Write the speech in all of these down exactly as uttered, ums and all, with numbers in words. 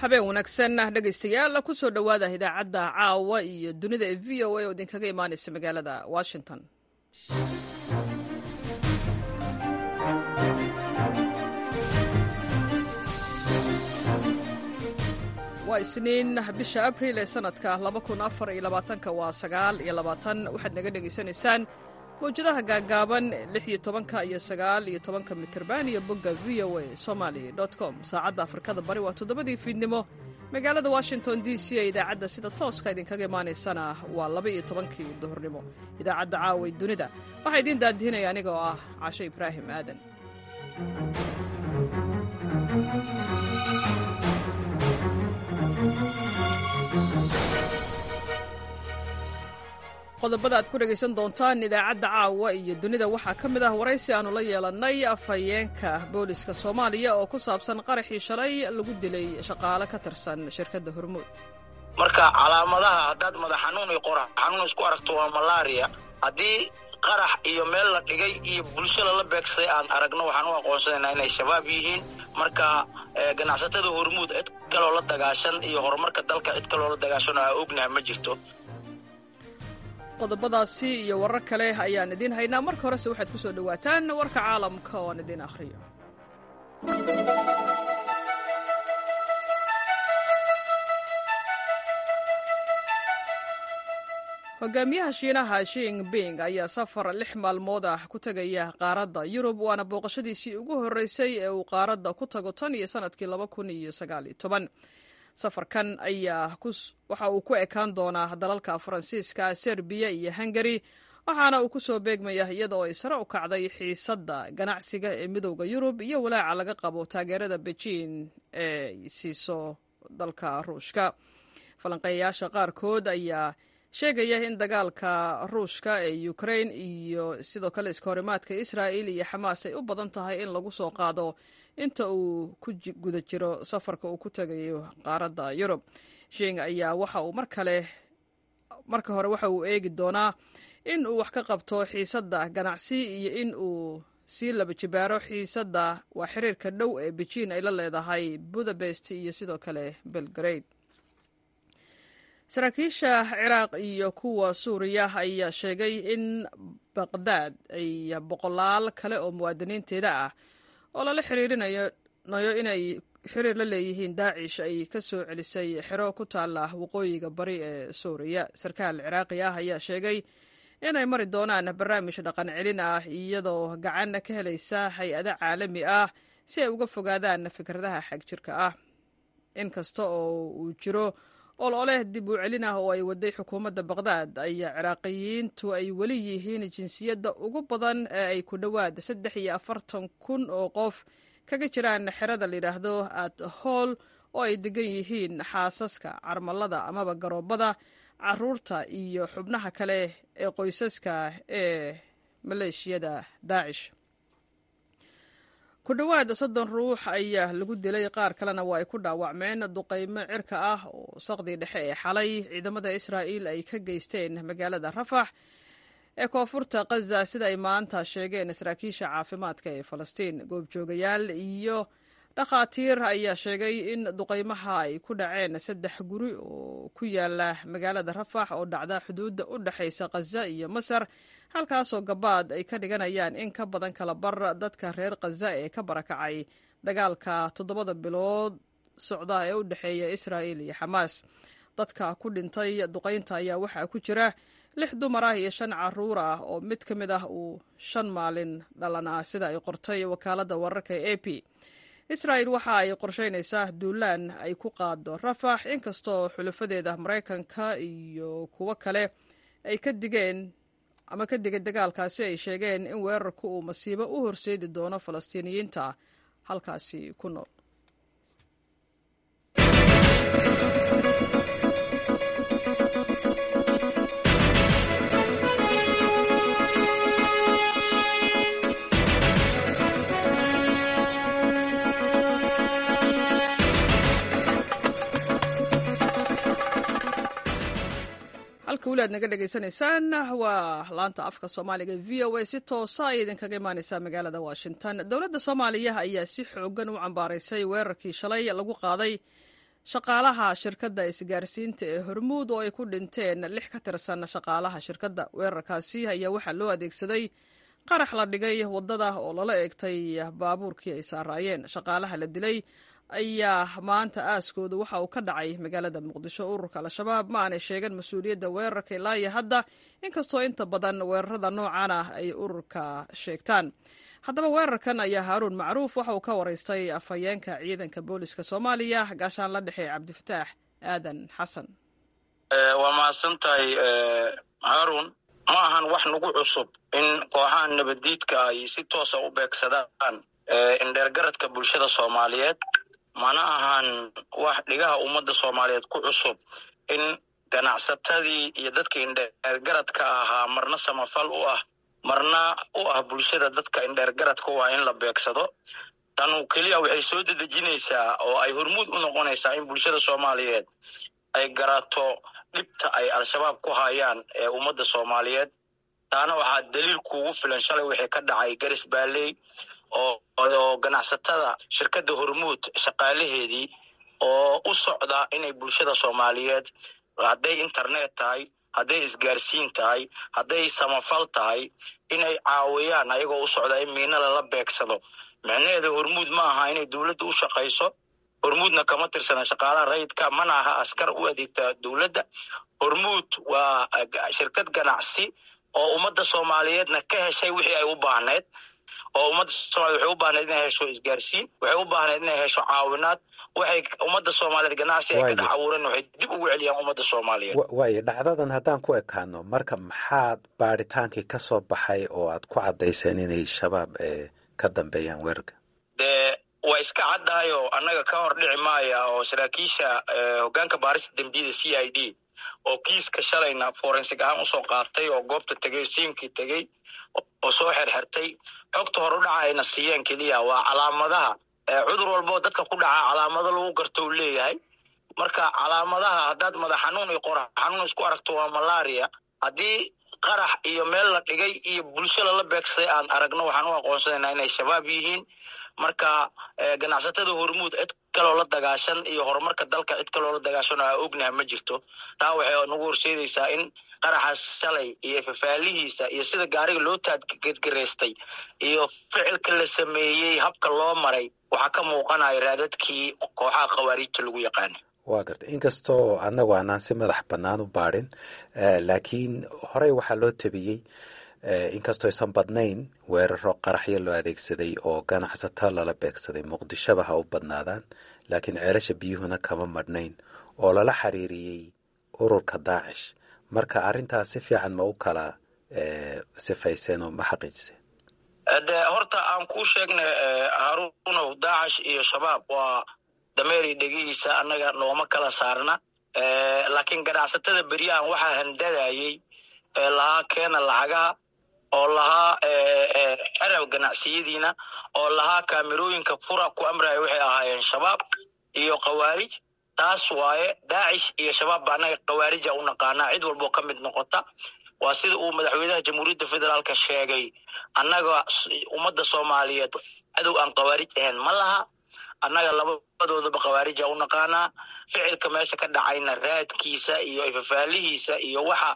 Habeen wanaagsan, dhegaystayaal. Kusoo dhowaada idaacadda caawa iyo dunida ee V O A oo idinkaga imaanaysa magaalada Washington. Waa Isniin, bisha Abriil ee sanadka laba kun afar iyo labaatanka waa sagaal iyo labaatan. Waxaad naga dhegaysanaysaan mawjadaha gaagaaban lix iyo tobanka iyo sagaal iyo tobanka mitirban iyo bogga V O A Somali com. Saacadda Afrikada Bari waa toddobadii fiidnimo. Magaalada Washington D C ee idaacadda sida tooska idinkaga imaanaysana waa laba iyo tobankii duhurnimo. Idaacadda Caawa Dunida waxaa idiin daadihinaya aniga oo ah Casho Ibraahim Aadan. Qodobada aad ku dhegaysan doontaan idaacadda caawa iyo dunida waxaa ka mid ah waraysi aannu la yeelannay afhayeenka booliska Soomaaliya oo ku saabsan qaraxii shalay lagu dilay shaqaale ka tirsan shirkadda Hormuud. Marka calaamadaha, haddaad madax xanuun iyo qorax xanuun isku aragto, waa malaria. Haddii qarax iyo meel la dhigay iyo bulsho lala beegsay aan aragno, waxaan u aqoonsanaynaa inay Shabaab yihiin. Marka ganacsatada Hormuud cid kaloo la dagaashan iyo horumarka dalka cid kaloo la dagaashan oo aa ognaha ma jirto. Qodobadaasi iyo warar kale ayaan idiin haynaa. Marka horese waxaad ku soo dhowaataan warka caalamka oo aan idiin akhriyo. Hogaamiyaha Shiinaha Xi Jinping ayaa safar lix maalmood ah ku tegaya qaaradda Yurub, waana booqashadiisii ugu horreysay ee uu qaaradda ku tago tan iyo sanadkii laba kun iyo sagaal iyo toban. Safarkan ayaa waxa uu ku ekaan doonaa dalalka Faransiiska, Serbiya iyo Hungari, waxaana uu ku soo beegmaya iyada oo ay sare u kacday xiisadda ganacsiga ee Midowda Yurub iyo walaaca laga qabo taageerada Beijing ee siiso dalka Ruushka. Falanqeeyayaasha qaarkood ayaa sheegaya in dagaalka Ruushka ee Ukrain iyo sidoo kale iskahorimaadka Israa'il iyo Xamaas ay u badan tahay in lagu soo qaado inta uu ku guda jiro safarka uu ku tegayo qaaradda Yurub. Xi ayaa waxa uu mar kale marka hore waxa uu eegi doonaa in uu wax ka qabto xiisadda ganacsi iyo in uu sii laba jibaaro xiisadda waa xiriirka dhow ee Beijing ay la leedahay Budapest iyo sidoo kale Belgrade. Saraakiisha Ciraaq iyo kuwa Suuriya ayaa sheegay in Baqdaad ay boqolaal kale oo muwaadiniinteeda ah oo lala xiriirinayo inay xiriir la leeyihiin Daacish ay ka soo celisay xero ku taala waqooyiga bari ee Suuriya. Sarkaal Ciraaqi ah ayaa sheegay inay mari doonaan barnaamij dhaqan celin ah iyadoo gacan ka helaysa hay'ado caalami ah si ay uga fogaadaan fikradaha xagjirka ah. In kasta oo uu jiro ololeh dib u celin ah oo ay waday xukuumadda Baqdaad, ayaa Ciraaqiyiintu ay weli yihiin jinsiyadda ugu badan ee ay ku dhowaad saddex iyo afartan kun oo qof kaga jiraan xerada layidhaahdo At Hool, oo ay degan yihiin xaasaska, carmalada amaba garoobada, caruurta iyo xubnaha kale ee qoysaska ee maleeshiyada Daacish. Ku dhowaad soddon ruux ayaa lagu dilay, qaar kalena waa ay ku dhaawacmeen duqaymo cirka ah oo saqdii dhexe ee xalay ciidamada Israa'iil ay ka geysteen magaalada Rafax ee koonfurta Khaza, sida ay maanta sheegeen saraakiisha caafimaadka ee Falastiin. Goobjoogayaal iyo dhakhaatiir ayaa sheegay in duqaymaha ay ku dhaceen saddex guri oo ku yaala magaalada Rafax oo dhacda xuduudda u dhexaysa Khaza iyo Masar, halkaasoo gabaad ay ka dhiganayaan in ka badan kala bar dadka reer Khaza ee ka barakacay dagaalka toddobada bilood socda ee u dhexeeya Israa'il iyo Xamaas. Dadka ku dhintay duqaynta ayaa waxaa ku jira lix dumar ah iyo shan caruur ah oo mid ka mid ah uu shan maalin dhalanaa, sida ay qortay wakaaladda wararka ee A P. Israa'il waxa ay qorsheynaysaa duulaan ay ku qaado Rafax, inkastoo xulafadeeda Maraykanka iyo kuwo kale ay ka digeen ama ka digay dagaalkaasi, ay sheegeen in weerarku uu masiibo u horseedi doono Falastiiniyiinta halkaasi ku nool. Halka weli aad naga dhegaysanaysaan waa laanta afka Soomaaliga V O A, si toosa ay idinkaga imaaneysaa magaalada Washington. Dowladda Soomaaliya ayaa si xoogan u cambaaraysay weerarkii shalay lagu qaaday Shaqaalaha shirkadda isgaarsiinta ee Hormuud oo ay ku dhinteen lix ka tirsan shaqaalaha shirkadda. Weerarkaasi ayaa waxaa loo adeegsaday qarax la dhigay waddada oo lala eegtay baabuurkii ay saaraayeen. Shaqaalaha la dilay ayaa maanta aaskooda waxa uu ka dhacay magaalada Muqdisho. Ururka Al-Shabaab ma aanay sheegan mas-uuliyadda weerarka ilaa iyo hadda, inkastoo inta badan weerarada noocan ah ay ururka sheegtaan. Haddaba weerarkan ayaa Haaruun Macruuf waxa uu ka waraystay afhayeenka ciidanka booliska Soomaaliya, gaashaan la dhexe Cabdifataax Aadan Xasan. Waa mahadsan tahay, Haaruun. Ma ahan wax nagu cusub in kooxaha nabaddiidka ay si toosa u beegsadaan indheergaradka bulshada Soomaaliyeed. Mana ahan wax dhigaha ummadda Soomaaliyeed ku cusub in ganacsatadii iyo dadka indheergaradka ahaa, marna samafal u ah, marna u ah bulshada, dadka indheergaradka u ah in la beegsado. Tanu keliya waxay soo dedejinaysaa oo ay hormuud u noqonaysaa in bulshada Soomaaliyeed ay garato dhibta ay Al-Shabaab ku hayaan ee ummadda Soomaaliyeed. Taana waxaa daliil kuugu filan shalay wixii ka dhacay Garis Baalley oo oo ganacsatada shirkadda Hormuud shaqaalaheedii oo u socda inay bulshada Soomaaliyeed, hadday internet tahay, hadday isgaarsiin tahay, hadday samafal tahay, inay caawiyaan ayagoo u socda in miina lala beegsado. Micnaheeda Hormuud ma aha inay dowladda u shaqayso. Hormuudna kama tirsana shaqaalaha rayidka, mana aha askar u adeegta dowladda. Hormuud waa shirkad ganacsi oo ummadda Soomaaliyeedna ka heshay wixii ay u baahneyd, oo ummadda Soomaaliyed waxay u baahneyd inay hesho isgaarsiin, waxay u baahneyd inay hesho caawinaad. Waxay ummadda Soomaaliyeed ganacsi ay ka dhex abuureen waxay dib ugu celiyaan ummadda Soomaaliyeed. Waayo, dhacdadan haddaan ku ekaano, marka maxaad baadhitaankii ka soo baxay oo aad ku caddayseen inay Shabaab ka dambeeyaan weerarka? Dee waa iska caddahayoo annaga ka hor dhici maaya oo saraakiisha hoggaanka baarista dembiyada C I D oo kiiska shalayna forensic ahaan usoo qaatay oo goobta tegey, scene-kii tegey oo soo xerxertay, xogta hor u dhaca ayna siiyeen keliya waa calaamadaha. Cudur walboo dadka ku dhacaa calaamado lagu garto uu leeyahay. Marka calaamadaha haddaad madax xanuun iyo qorax xanuun isku aragto, waa malaria. Haddii qarax iyo meel la dhigay iyo bulsho lala beegsaday aan aragno, waxaan u aqoonsanaynaa inay Shabaab yihiin. Marka ganacsatada Hormuud cid kaloo la dagaashan iyo horumarka dalka cid kaloo la dagaashan oo aa ognaha ma jirto. Taa waxay nagu horseedaysaa in qaraxaas shalay iyo fafaalihiisa iyo sida gaariga loo taadgedgaraystay iyo ficilka la sameeyey, habka loo maray, waxaa ka muuqanaya raadadkii kooxaha khawaariijta lagu yaqaana. Waa gartay. Inkastoo annagu aanaan si madax bannaan u baadhin, laakiin horey waxaa loo tabiyey, inkastoo aysan badnayn, weeraro qaraxyo loo adeegsaday oo ganacsato lala beegsaday, Muqdishoba ha u badnaadaan, laakiin Ceelasha Biyuhuna kama madhnayn, oo lala xiriiriyey ururka Daacish. Marka arrintaas si fiican ma u kala sifayseen oo ma xaqiijiseen? De horta aan kuu sheegnay, Haruunow, Daacish iyo Shabaab waa dameeri dhegihiisa, annaga nooma kala saarna. Laakiin ganacsatada beryahan waxaa handadayey ee lahaa keena lacagaha, oo lahaa xerab ganacsiyadiina, oo lahaa kaamirooyinka fura ku amraya, waxay ahaayeen Shabaab iyo khawaarij. Taas waaye. Daacish iyo Shabaab ba annaga khawaarija u naqaanaa cid walboo ka mid noqota. Waa sida uu madaxweynaha Jamhuuriyadda Federaalka sheegay: annaga ummadda Soomaaliyeed cadow aan khawaarij ahayn ma laha. Annaga labadoodaba khawaarija u naqaanaa. Ficilka meesha ka dhacayna raadkiisa iyo ifafaalihiisa iyo waxa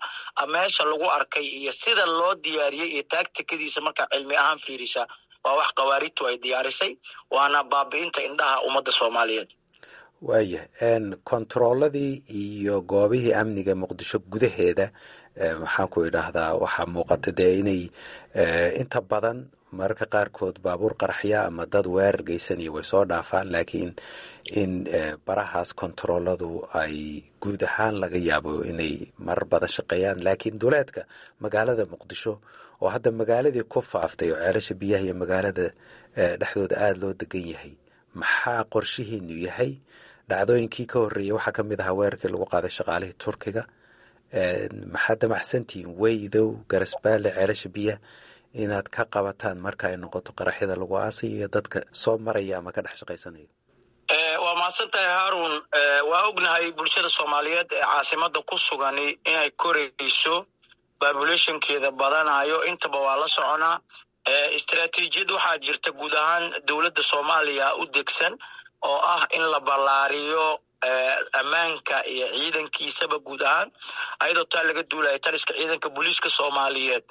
meesha lagu arkay iyo sida loo diyaariyey iyo taagtikadiisa markaa cilmi ahaan fiirisa, waa wax khawaarijtu ay diyaarisay, waana baabi'inta indhaha ummadda Soomaaliyeed. Waayahay, kontarooladii iyo goobihii amniga Muqdisho gudaheeda, maxaan ku idhaahdaa, waxaa muuqata dee inay inta badan mararka qaarkood baabuur qaraxya ama dad weerar geysanaya way soo dhaafaan, laakiin in barahaas kontarooladu ay guud ahaan laga yaabo inay marar badan shaqeeyaan, laakiin duleedka magaalada Muqdisho oo hadda magaaladii ku faaftay oo Ceelasha Biyaha iyo magaalada dhexdooda aada loo degan yahay, maxaa qorshihiinu yahay? Dhacdooyinkii ka horreeyey waxaa ka mid ahaa weerarkii lagu qaaday shaqaalihii Turkiga. Maxaad damacsantihiin Weydow, Garasbaale, Ceelasha Biyaha inaad ka qabataan marka ay noqoto qaraxyada lagu aasayo iyo dadka soo maraya ama ka dhex shaqaysanaya? Waa mahadsan tahay, Haarun. Waa ognahay bulshada Soomaaliyeed ee caasimada ku sugani inay korayso, populationkeeda badanayo, intaba waa la soconaa. Istaraatiijiyad waxaa jirta guud ahaan dowladda Soomaaliya u degsan oo ah in la ballaariyo Ammaanka iyo ciidankiisaba guud ahaan. Ayadoo taa laga duulaya, taliska ciidanka booliiska Soomaaliyeed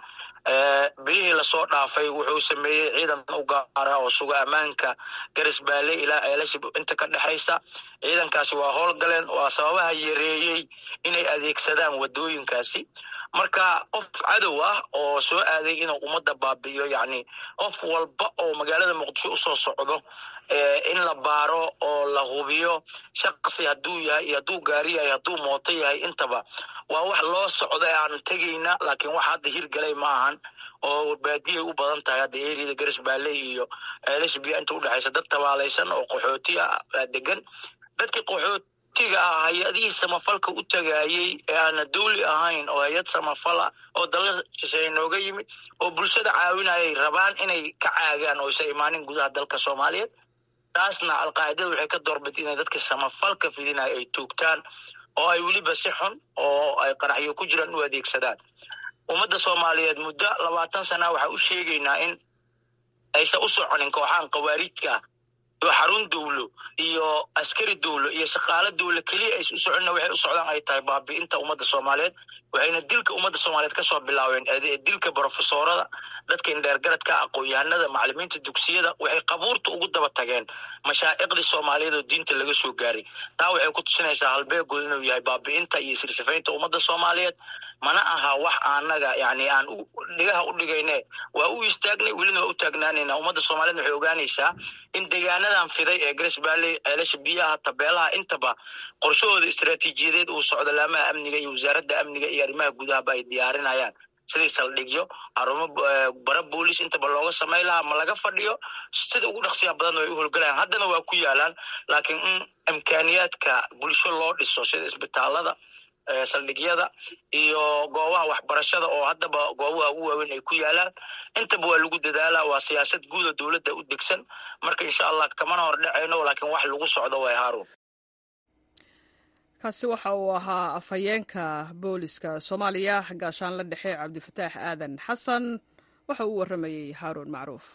bilihii lasoo dhaafay wuxuu sameeyey ciidan u gaara oo suga ammaanka Garisbaale ilaa Ceelasha inta ka dhexaysa. Ciidankaasi waa howlgaleen, waa sababaha yareeyey inay adeegsadaan wadooyinkaasi. Marka qof cadow ah oo soo aaday inuu ummadda baabi'iyo, yacni qof walba oo magaalada Muqdisho usoo socdo in la baaro oo la hubiyo shaqsi hadduu yahay iyo hadduu gaari yahay, hadduu mooto yahay, intaba waa wax loo socda ee aan tegayna. Laakiin wax hadda hirgalay ma ahan oo baadiyay u badan tahay hadda eriyada Garisbaale iyo Ceelasha Biya inta udhexaysa. Dad tabaalaysan oo qaxooti ah degan. Dadkii qaxootiga ah hay-adihii samafalka u tagaayey ee aana dawli ahayn oo hay-ad samafala oo dalal shisheeye nooga yimid oo bulshada caawinayay rabaan inay ka caagaan oo isa imaanin gudaha dalka Soomaaliyeed. Taasna Alqaacidada waxay ka doorbid inay dadka samafalka fidinaya ay toogtaan oo ay weliba si xun oo ay qaraxyo ku jiraan u adeegsadaan. Ummadda Soomaaliyeed muddo labaatan sana waxaa u sheegaynaa in aysan u soconin kooxahan khawaarijka oo xarun dowlo iyo askari dowlo iyo shaqaalo dowlo keliya aysan u soconina. Waxay u socdaan ay tahay baabi'inta ummadda Soomaaliyeed, waxayna dilka ummadda Soomaaliyeed kasoo bilaabeen dilka brofesoorada, dadka indheergaradka, aqoon-yahanada, macalimiinta dugsiyada. Waxay qabuurta ugu daba tageen mashaa'iqdii Soomaaliyeed oo diinta laga soo gaaray. Taa waxay ku tusinaysaa halbeegood inuu yahay baabi'inta iyo sirsifaynta ummadda Soomaaliyeed. Mana aha wax anaga yani aan dhigaha u dhigayne, waa u istaagnay, welina waa u taagnaanayna. Ummadda Soomaaliyed waxay ogaanaysaa in deegaanadan fiday ee Grace Valley, Ceelasha Biyaha, Tabeelaha, intaba qorshahooda istaraatiijiyadeed uu socdo, laamaha amniga iyo wasaaradda amniga iyo arrimaha gudahaba ay diyaarinayaan sidii saldhigyo, xarumo bara boolis intaba looga samay lahaa. Ma laga fadhiyo, sida ugu dhaqsiya badan way u howlgalayaan, haddana waa ku yaalaan. Laakiin in imkaaniyaadka bulsho loo dhiso sida isbitaalada, saldhigyada iyo goobaha waxbarashada oo haddaba goobaha ugu waaweyn ay ku yaalaan, intaba waa lagu dadaalaa. Waa siyaasad guuda dowladda u degsan. Marka insha Allah kamana hor dhacayno, laakiin wax lagu socdo way, Haarun. Kaasi waxa uu ahaa afhayeenka booliska Soomaaliya, gaashaanla dhexe Cabdifataax Aadan Xasan. Waxa uu warramayey Haaruun Macruuf.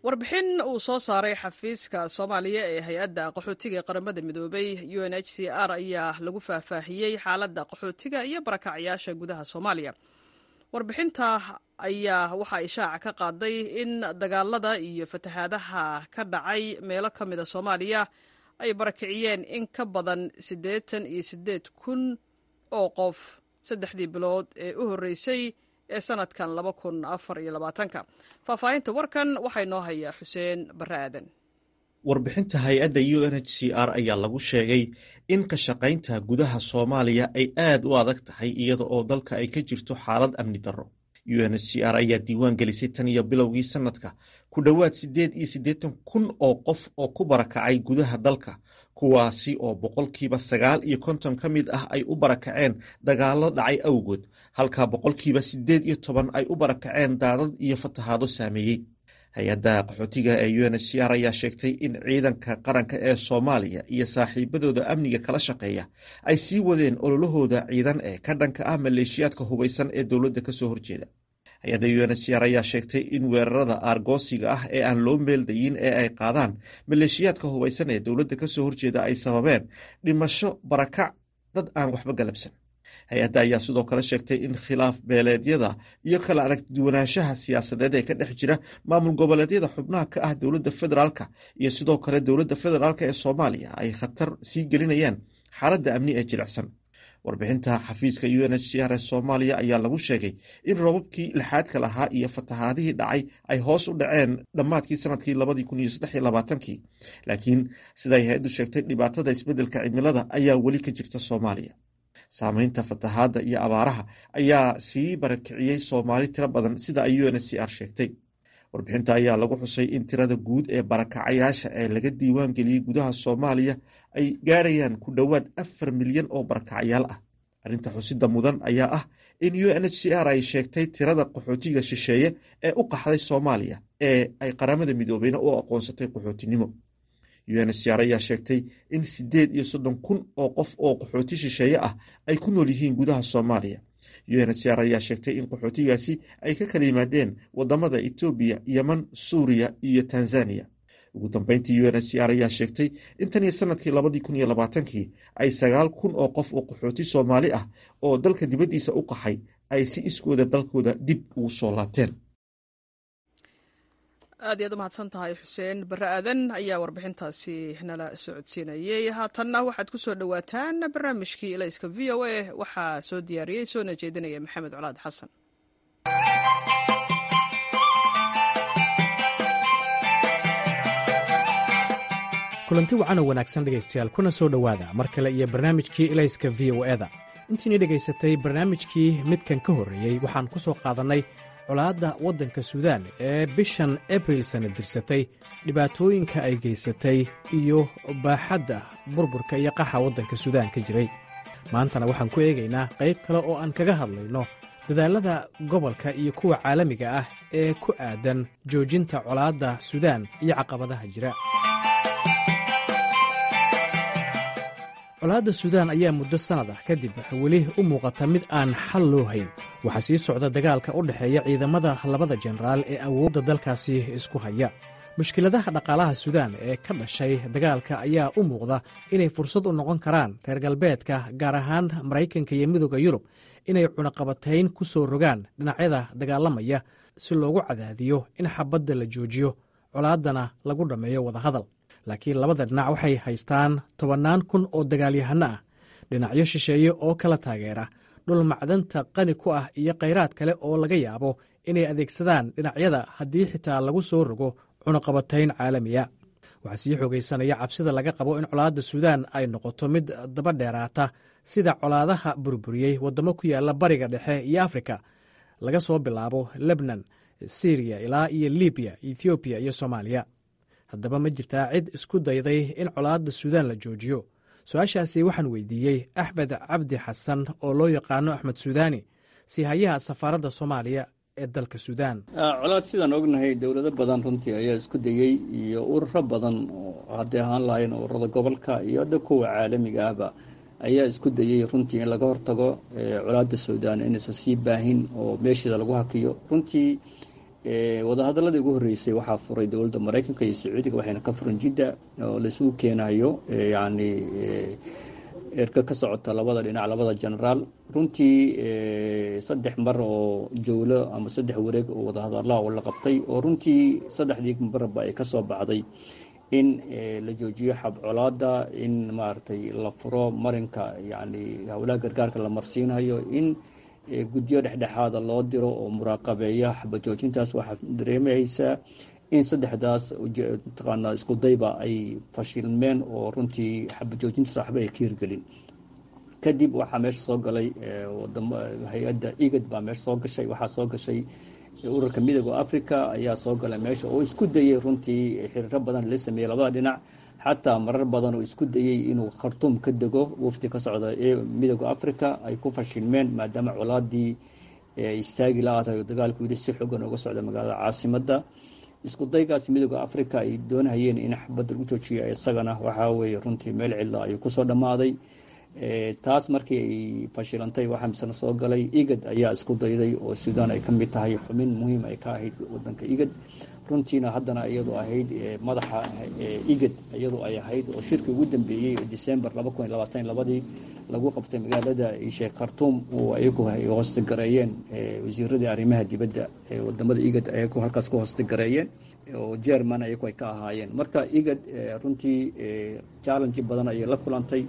Warbixin uu soo saaray xafiiska Soomaaliya ee hay-adda qaxootiga ee Qaramada Midoobay U N H C R ayaa lagu faahfaahiyey xaaladda qaxootiga iyo barakacyaasha gudaha Soomaaliya. Warbixinta ayaa waxaa ishaaca ka qaaday in dagaalada iyo fatahaadaha ka dhacay meelo ka mida Soomaaliya ay barakiciyeen in ka badan siddeetan iyo siddeed kun oo qof saddexdii bilood ee u horreysay ee sanadkan laba kun afar iyo labaatanka. Faahfaahinta warkan waxaa inoo hayaa Xuseen Barre Aadan. Warbixinta hay-adda U N H C R ayaa lagu sheegay in ka shaqaynta gudaha Soomaaliya ay aad u adag tahay, iyada oo dalka ay ka jirto xaalad amni darro. U N H C R ayaa diiwaan gelisay tan iyo bilowgii sanadka ku dhowaad siddeed iyo siddeetan kun oo qof oo ku barakacay gudaha dalka, kuwaasi oo boqolkiiba sagaal iyo konton ka mid ah ay u barakaceen dagaallo dhacay awgood, halka boqolkiiba siddeed iyo toban ay u barakaceen daadad iyo fatahaado saameeyey. Hay-adda qaxootiga ee U N H C R ayaa sheegtay in ciidanka qaranka ee Soomaaliya iyo saaxiibadooda amniga kala shaqeeya ay sii wadeen ololahooda ciidan ee ka dhanka ah maleeshiyaadka hubaysan ee dowladda kasoo horjeeda. Hay-adda U N H C R ayaa sheegtay in weerarada aargoosiga ah ee aan loo meeldayin ee ay qaadaan maleeshiyaadka hubaysan ee dowladda kasoo horjeeda ay sababeen dhimasho, barakac dad aan waxba galabsan. Hay-adda ayaa sidoo kale sheegtay in khilaaf beeleedyada iyo kala aragduwanaanshaha siyaasadeed ee ka dhex jira maamul goboleedyada xubnaha ka ah dowladda federaalka iyo sidoo kale dowladda federaalka ee Soomaaliya ay khatar sii gelinayaan xaaladda amni ee jilicsan. Warbixinta xafiiska U N H C R ee Soomaaliya ayaa lagu sheegay in roobabkii lixaadka lahaa iyo fatahaadihii dhacay ay hoos u dhaceen dhammaadkii sanadkii labadii kun iyo saddex iyo labaatankii, laakiin siday hay-addu sheegtay, dhibaatada isbeddelka cimilada ayaa weli ka jirta Soomaaliya. Saameynta fatahaadda iyo abaaraha ayaa sii barakiciyey Soomaali tiro badan, sida ay U N H C R sheegtay. Warbixinta ayaa lagu xusay in tirada guud ee barakacayaasha ee laga diiwaan geliyey gudaha Soomaaliya ay gaadhayaan ku dhowaad afar milyan oo barakacayaal ah. Arrinta xusida mudan ayaa ah in U N H C R ay sheegtay tirada qaxootiga shisheeye ee u qaxday Soomaaliya ee ay Qaramada Midoobeyna u aqoonsatay qaxootinimo. U N H C R ayaa sheegtay in siddeed iyo soddon kun oo qof oo qaxooti shisheeye ah ay ku nool yihiin gudaha Soomaaliya, U N H C R ayaa sheegtay in qaxootigaasi ay ka kala yimaadeen wadamada Etoobiya, Yeman, Suuriya iyo Tanzaniya. Ugu dambeyntii, U N H C R ayaa sheegtay in tan iyo sanadkii labadii kun iyo labaatankii ay sagaal kun oo qof oo qaxooti Soomaali ah oo dalka dibaddiisa u qaxay ay si iskooda dalkooda dib ugu soo laabteen. Aad iyaad u mahadsan tahay. Xuseen Barre Aadan ayaa warbixintaasi nala socodsiinayey. Haatanna waxaad ku soo dhowaataan barnaamijkii Ilayska V O A. Waxaa soo diyaariyey soona jeedinaya Maxamed Colaad Xasan. Kulanti wacan oo wanaagsan, dhegaystayaal, kuna soo dhowaada mar kale iyo barnaamijkii Ilayska V O E da. Intiinii dhegaysatay barnaamijkii midkan ka horreeyey, waxaan ku soo qaadannay colaadda waddanka Suudaan ee bishan Abril sana dirsatay, dhibaatooyinka ay geysatay iyo baaxadda burburka iyo qaxa waddanka Suudaan ka jiray. Maantana waxaan ku eegaynaa qayb kale oo aan kaga hadlayno dadaallada gobolka iyo kuwa caalamiga ah ee ku aadan joojinta colaadda Suudaan iyo caqabadaha jira. Colaadda Suudaan ayaa muddo sannad ah kadib weli u muuqata mid aan xal loo hayn. Waxaa sii socda dagaalka u dhexeeya ciidamada labada jenaraal ee awoodda dalkaasi isku haya. Mushkiladaha dhaqaalaha Suudaan ee ka dhashay dagaalka ayaa u muuqda inay fursad u noqon karaan reer galbeedka, gaar ahaan Maraykanka iyo Midooda Yurub, inay cunaqabatayn ku soo rogaan dhinacyada dagaalamaya si loogu cadaadiyo in xabadda la joojiyo, colaaddana lagu dhammeeyo wadahadal. Laakiin labada dhinac waxay haystaan tobannaan kun oo dagaalyahanno ah, dhinacyo shisheeye oo kala taageera, dhul macdanta qani ku ah iyo khayraad kale oo laga yaabo inay adeegsadaan dhinacyada haddii xitaa lagu soo rogo cunaqabatayn caalamiya. Waxaa sii xoogaysanaya cabsida laga qabo in colaadda Suudaan ay noqoto mid daba dheeraata, sida colaadaha burburiyey waddamo ku yaala Bariga Dhexe iyo Afrika, laga soo bilaabo Lebnan, Siriya ilaa iyo Libiya, Ethoobiya iyo Soomaaliya. Haddaba, ma jirtaa cid isku dayday in colaadda Suudaan la joojiyo? Su-aashaasi waxaan weydiiyey Axmed Cabdi Xasan oo loo yaqaano Axmed Suudaani, siihayaha safaaradda Soomaaliya ee dalka Suudaan. Colaad, sidaan ognahay, dowlado badan runtii ayaa isku dayey iyo ururo badan oo hadday ahaan lahayn ururada gobolka iyo hadda kuwa caalamiga ahba ayaa isku dayey runtii in laga hortago colaadda Suudaan inaysan sii baahin oo meesheeda lagu hakiyo. Runtii wadahadaladii ugu horreysay waxaa furay dowladda Maraykanka iyo Sacuudiga, waxayna ka furan Jidda oo laisugu keenayo yacni erka ka socota labada dhinac, labada genaraal. Runtii saddex mar oo jowlo ama saddex wareeg oo wadahadalaha oo la qabtay, oo runtii saddexdii marba ay ka soo baxday in la joojiyo xab colaada, in maaragtay la furo marinka yacni howlaha gargaarka la marsiinayo, in guddiyo dhexdhexaada loo diro oo muraaqabeeya xabajoojintaas. Waxaa dareemaysaa in saddexdaas mataqaanaa isku dayba ay fashilmeen oo runtii xabajoojintaas waxba ay ka hirgelin. Kadib waxaa meesha soo galay wadamo, hay-adda IGAD baa meesha soo gashay, waxaa soo gashay ururka Midooda Africa ayaa soo galay meesha oo isku dayey runtii xiriiro badan la sameeyey labada dhinac, xataa marar badan oo isku dayey inuu Khartuum ka dego wafdi ka socda ee Midooda Africa ay ku fashilmeen, maadaama colaadii istaagi la-aatahay oo dagaalku weli si xoogan uga socda magaalada caasimadda. Isku daygaas Midooda Africa ay doonahayeen in xabadda lagu joojiyo isagana waxaa weeye runtii meel cidla ayuu kusoo dhammaaday. Taas markii ay fashilantay, waxaa misena soo galay IGAD ayaa isku dayday, oo Suudaan ay ka mid tahay, xubin muhiim ay ka ahayd wadanka IGAD runtiina, haddana iyadoo ahayd madaxa IGAD iyadoo ay ahayd, oo shirkii ugu dambeeyey December laba kun iyo labaatan labadii lagu qabtay magaalada sheekh Khartuum oo ayagu ay hoostigareeyeen wasiiradii arrimaha dibadda ee wadamada IGAD, ayagu halkaas ku hoostigareeyeen oo German ayagu ay ka ahaayeen. Marka IGAD runtii challenge badan ayay la kulantay,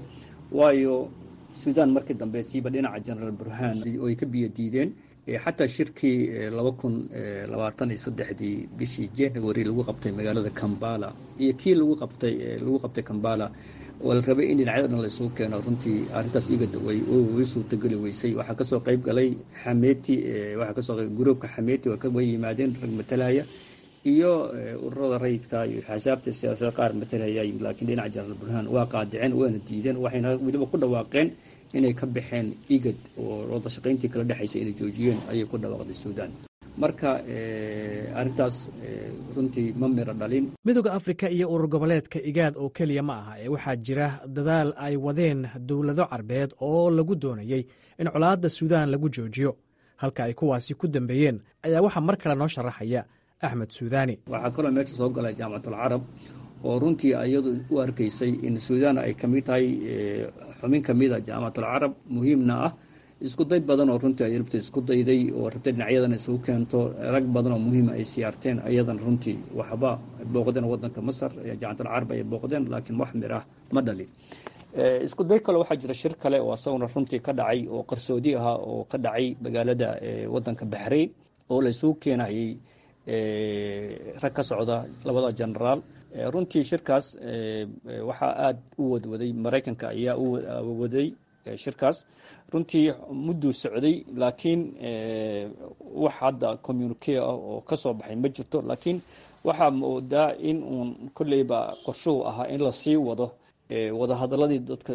waayo Suudaan markii dambe siiba dhinaca Generaal Burhaan oo ay ka biyo diideen. Xataa shirkii laba kun labaatan iyo saddexdii bishii January lagu qabtay magaalada Kambala iyo kii lagu qabtay lagu qabtay Kambala oo la rabay in dhinacyada dhan la isugu keeno, runtii arrintaas IGAD way way suurtageli weysay. Waxaa kasoo qayb galay Xameeti, waxaa kasoo qayb gruubka Xameeti way yimaadeen, rag matalaya iyo ururada rayidka iyo axsaabta siyaasadda qaar matalaya, laakiin dhinaca Jenaraal Burhaan waa qaadiceen waana diideen, waxayna weliba ku dhawaaqeen inay ka baxeen IGAD oo wada shaqayntii kala dhexaysa inay joojiyeen ayay ku dhawaaqday Suudaan. Marka arrintaas runtii ma miro dhalin. Midooda Afrika iyo urur goboleedka Igaad oo keliya ma aha ee waxaa jira dadaal ay wadeen dowlado Carbeed oo lagu doonayey in colaadda Suudaan lagu joojiyo. Halka ay kuwaasi ku dambeeyeen ayaa waxaa mar kale noo sharaxaya Axmed Suudaani. Waxaa kaloo meesha soo galay Jaamacatul Carab, oo runtii iyadu u arkaysay in Suudaan ay ka mid tahay xubin ka mid a Jaamacatul Carab, muhiimna ah. Isku day badan oo runtii ay rabtay, isku dayday oo rabtay dhinacyadan isugu keento, rag badan oo muhiima ay siyaarteen, ayadan runtii waxba booqdeen wadanka Masar, Jaamacatul Carab ay booqdeen, laakiin wax mir ah ma dhalin. Isku day kale waxaa jira, shir kale oo asaguna runtii ka dhacay oo qarsoodi ahaa, oo ka dhacay magaalada wadanka Baxrayn, oo la isugu keenayay rag ka socda labada genaraal. Runtii shirkaas waxaa aada u wadwaday Maraykanka ayaa u waday shirkaas. Runtii mudduu socday, laakiin wax hadda communique ah oo ka soo baxay ma jirto. Laakiin waxaa moodaa in uun kolleyba qorshuhu ahaa in lasii wado wadahadaladii dadka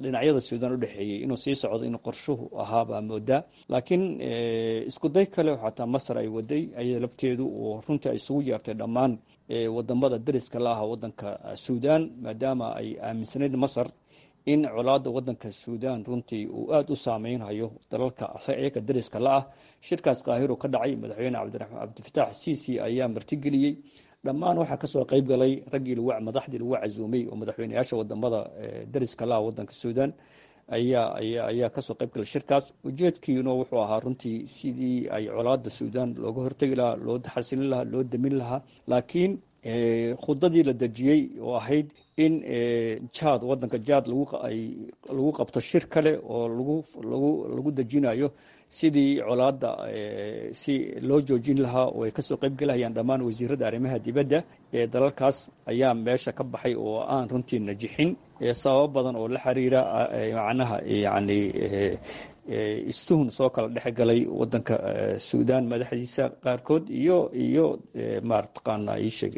dhinacyada Suudaan u dhexeeyey, inuu sii socdo inuu qorshuhu ahaa baa moodaa. Laakiin isku day kale xataa Masar ay waday ayada lafteedu, oo runtii ay isugu yeertay dhammaan wadamada dariska la aha wadanka Suudaan, maadaama ay aaminsanayd Masar in colaadda wadanka Suudaan runtii uu aada u saameynhayo dalalka iyaga dariska la ah. Shirkaas Qaahiru ka dhacay, madaxweyne Cabdifitaax Siisi ayaa martigeliyey. Dhammaan waxaa kasoo qayb galay raggii madaxdii lagu casuumay oo madaxweyneyaasha wadamada dariska la ah wadanka Suudaan ayaa ayaa ayaa kasoo qayb galay shirkaas. Ujeedkiina wuxuu ahaa runtii sidii ay colaadda Suudaan looga hortegi lahaa, loo xasilin lahaa, loo damin lahaa. Laakiin khudadii la dejiyey oo ahayd in Jaad, wadanka Jaad, lagu qabto shir kale oo lagu lagu lagu dejinayo sidii colaadda si loo joojin lahaa, oo ay kasoo qayb galahayaan dhammaan wasiirada arrimaha dibadda ee dalalkaas, ayaa meesha ka baxay oo aan runtii najixin, sababo badan oo la xiriira macnaha yacni istuhun soo kala dhex galay wadanka Suudaan madaxdiisa qaarkood iyo iyo marataqaana iisheeg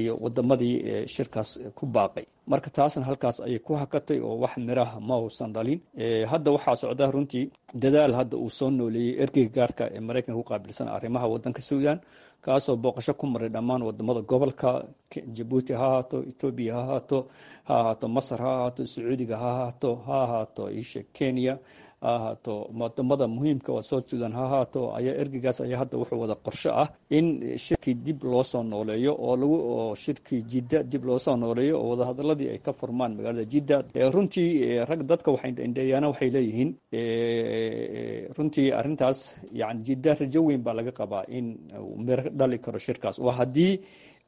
iyo wadamadii shirkaas ku baaqay. Marka taasna halkaas ayay ku hakatay oo wax miraha ma uusan dhalin. Hadda waxaa socda runtii dadaal hadda uu soo nooleeyey ergeyga gaarka ee Maraykanka ku qaabilsan arrimaha wadanka Suudaan, kaasoo booqasho ku maray dhammaan wadamada gobolka: Jabuuti ha ahaato, Etoobiya ha ahaato, ha ahaato Masar, ha ahaato Sacuudiga, ha ahaato ha ahaato isha Kenya ha ahaato, wadamada muhiimka oo South Sudan ha ahaato. Ayaa ergeygaas ayaa hadda wuxuu wada qorsho ah in shirkii dib loo soo nooleeyo, oo lagu oo shirkii Jidda dib loo soo nooleeyo, oo wadahadaladii ay ka furmaan magaalada Jidda. Runtii rag dadka waxay indheeyaana waxay leeyihiin runtii arrintaas yani Jidda rajo weyn baa laga qabaa in miro dhali karo shirkaas, oo haddii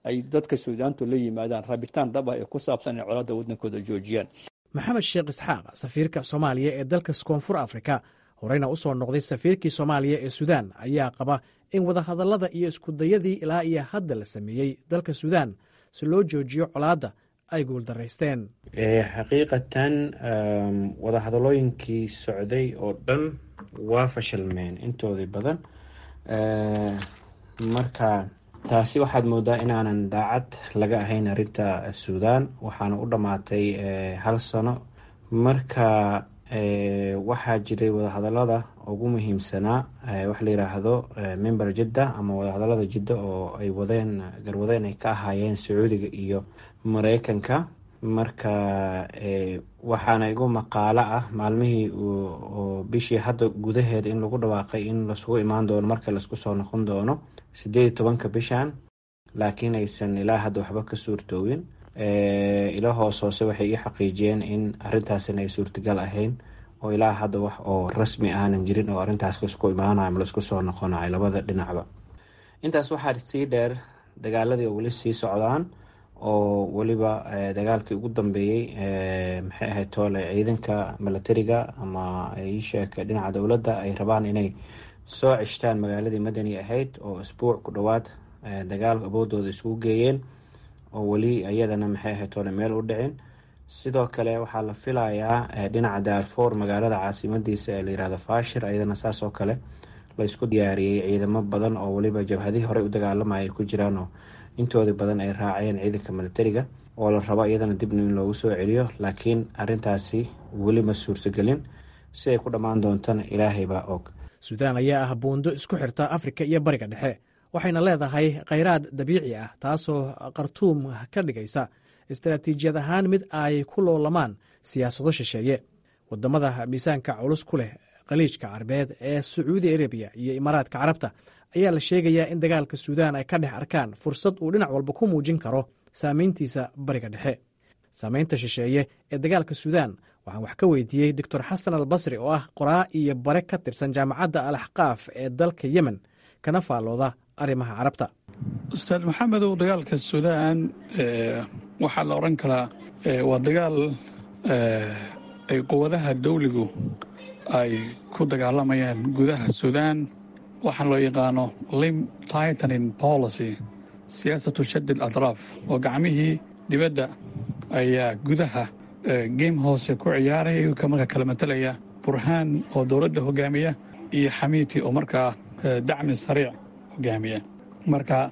ay dadka Suudaantu la yimaadaan rabitaan dhab ah ee ku saabsan inay colaadda waddankooda joojiyaan. Maxamed Sheekh Isxaaq, safiirka Soomaaliya ee dalka Koonfur Afrika, horeyna u soo noqday safiirkii Soomaaliya ee Suudaan, ayaa qaba in wadahadallada iyo iskudayadii ilaa iyo hadda la sameeyey dalka Suudaan si loo joojiyo colaadda ay guuldaraysteen. Xaqiiqatan wadahadalooyinkii socday oo dhan waa fashilmeen intoodii badan. Marka taasi waxaad moodaa inaanan daacad laga ahayn arrinta Suudaan, waxaana u dhammaatay hal sano. Marka waxaa jiray wadahadalada ugu muhiimsanaa waxa la yiraahdo Member Jidda ama wadahadalada Jidda, oo ay wadeen garwadeen ay ka ahaayeen Sacuudiga iyo Mareykanka. Marka waxaana igu maqaalo ah maalmihii oo bishii hadda gudaheed in lagu dhawaaqay in lasugu imaan doono marka laisku soo noqon doono sideed iyo tobanka bishan, laakiin aysan ilaa hadda waxba ka suurtoowin. Ilo hoos hoose waxay ii xaqiijiyeen in arrintaasina ay suurtagal ahayn, oo ilaa hadda wax oo rasmi aanan jirin oo arrintaas laisku imaanayo ama laisku soo noqonayo labada dhinacba. Intaas waxaa sii dheer dagaaladii oo weli sii socdaan, oo weliba dagaalkii ugu dambeeyey, maxay ahayd toole, ciidanka milatariga ama iisheeg dhinaca dowladda ay rabaan inay soo ceshtaan magaaladii Madani ahayd, oo isbuuc ku dhowaad dagaal awoodooda isugu geeyeen, oo weli iyadana, maxay ahayd toole, meel u dhicin. Sidoo kale waxaa la filayaa dhinaca Daarfoor, magaalada caasimadiisa ee la yirahdo Fashir, iyadana saas oo kale la isku diyaariyey ciidamo badan, oo weliba jabhadihii horey u dagaalamaya ay ku jiraan, oo intoodii badan ay raaceen ciidanka milatariga, oo la rabo iyadana dibna in loogu soo celiyo. Laakiin arrintaasi weli ma suurtagelin, si ay ku dhammaan doontana Ilaahay baa og. Suudaan ayaa ah buundo isku xirta Afrika iyo Bariga Dhexe, waxayna leedahay khayraad dabiici ah, taasoo Khartuum ka dhigaysa istaraatiijiyad ahaan mid ay ku loolamaan siyaasado shisheeye. Wadamada miisaanka culus ku leh Khaliijka Carbeed ee Sacuudi Arabiya iyo Imaaraadka Carabta ayaa la sheegayaa in dagaalka Suudaan ay ka dhex arkaan fursad uu dhinac walba ku muujin karo saameyntiisa Bariga Dhexe. Saameynta shisheeye ee dagaalka Suudaan waxaan wax ka weydiiyey Doctor Xasan Al Basri, oo ah qoraa iyo bare ka tirsan Jaamacadda Al Axqaaf ee dalka Yemen, kana faallooda arrimaha Carabta. Ustaad Maxamedow, dagaalka Suudaan waxaa la odhan karaa waa dagaal ay quwadaha dawligu ay ku dagaalamayaan gudaha Suudaan. Waxaan loo yaqaano limb tightening policy, siyaasatu shadid atraaf, oo gacmihii dibadda ayaa gudaha game hoose ku ciyaaraya, iyagoo markaa kala matalaya Burhaan oo dowladda hogaamiya iyo Xamiiti oo markaa Dacmi Sariic hogaamiya. Marka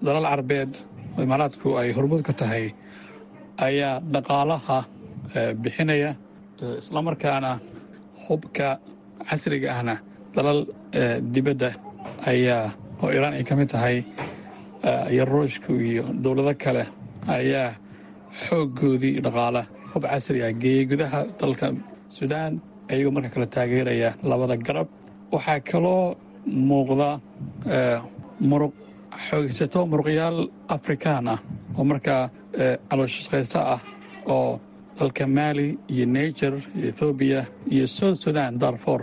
dalal Carbeed oo Imaaraadku ay hormuud ka tahay ayaa dhaqaalaha bixinaya, islamarkaana hubka casriga ahna dalal dibadda ayaa, oo Iiraan ay ka mid tahay iyo Ruushku iyo dowlado kale, ayaa xooggoodii dhaqaala hub casri ah geeyey gudaha dalka Suudaan, ayagoo marka kale taageeraya labada garab. Waxaa kaloo muuqda muruq xoogaysato, muruqyaal Afrikaan ah oo markaa calooshaqaysto ah, oo dalka Maali iyo Niger iyo Ethoobiya iyo South Sudan, Darfor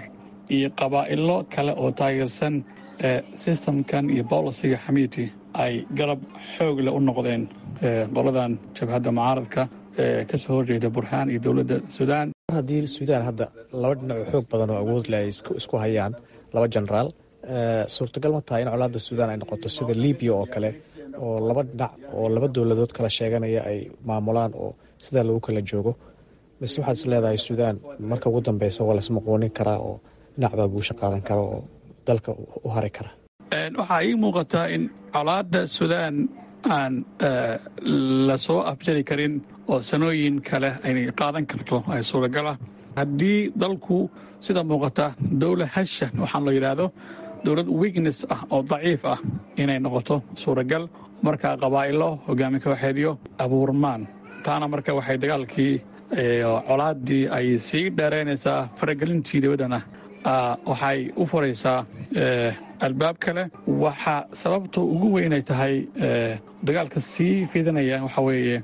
iyo qabaa'ilo kale oo taageersan systemkan iyo policyga Xamiiti ay garab xoog leh u noqdeen qoladan jabhadda mucaaradka ee ka soo horjeeda Burhaan iyo dowladda Suudaan. Haddii Suudaan hadda laba dhinac oo xoog badan oo awood leh ay isku hayaan, laba jenaraal, suurtagal ma tahay in colaadda Suudaan ay noqoto sida Libiya oo kale, oo laba dhinac oo laba dowladood kala sheeganaya ay maamulaan oo sidaa lagu kala joogo, mise waxaad is leedahay Suudaan marka ugu dambeysa waa lasmaqoonin karaa oo dhinac baa guusha qaadan kara oo dalka u hari kara? Waxaa ii muuqataa in colaadda Suudaan aan la soo afjari karin oo sanooyin kale aynay qaadan karto ay suuragalah, haddii dalku sida muuqata dowlad hasha waxaan loo yidhaahdo dowlad weakness ah oo daciif ah inay noqoto suuragal, markaa qabaa'ilo hogaami kooxeedyo abuurmaan. Taana marka waxay dagaalkii, colaaddii ay sii dheeraynaysaa, faragelintii dibaddana waxay u furaysaa albaab kale. Waxa sababta ugu weynay tahay dagaalka sii fidinaya waxaa weeye,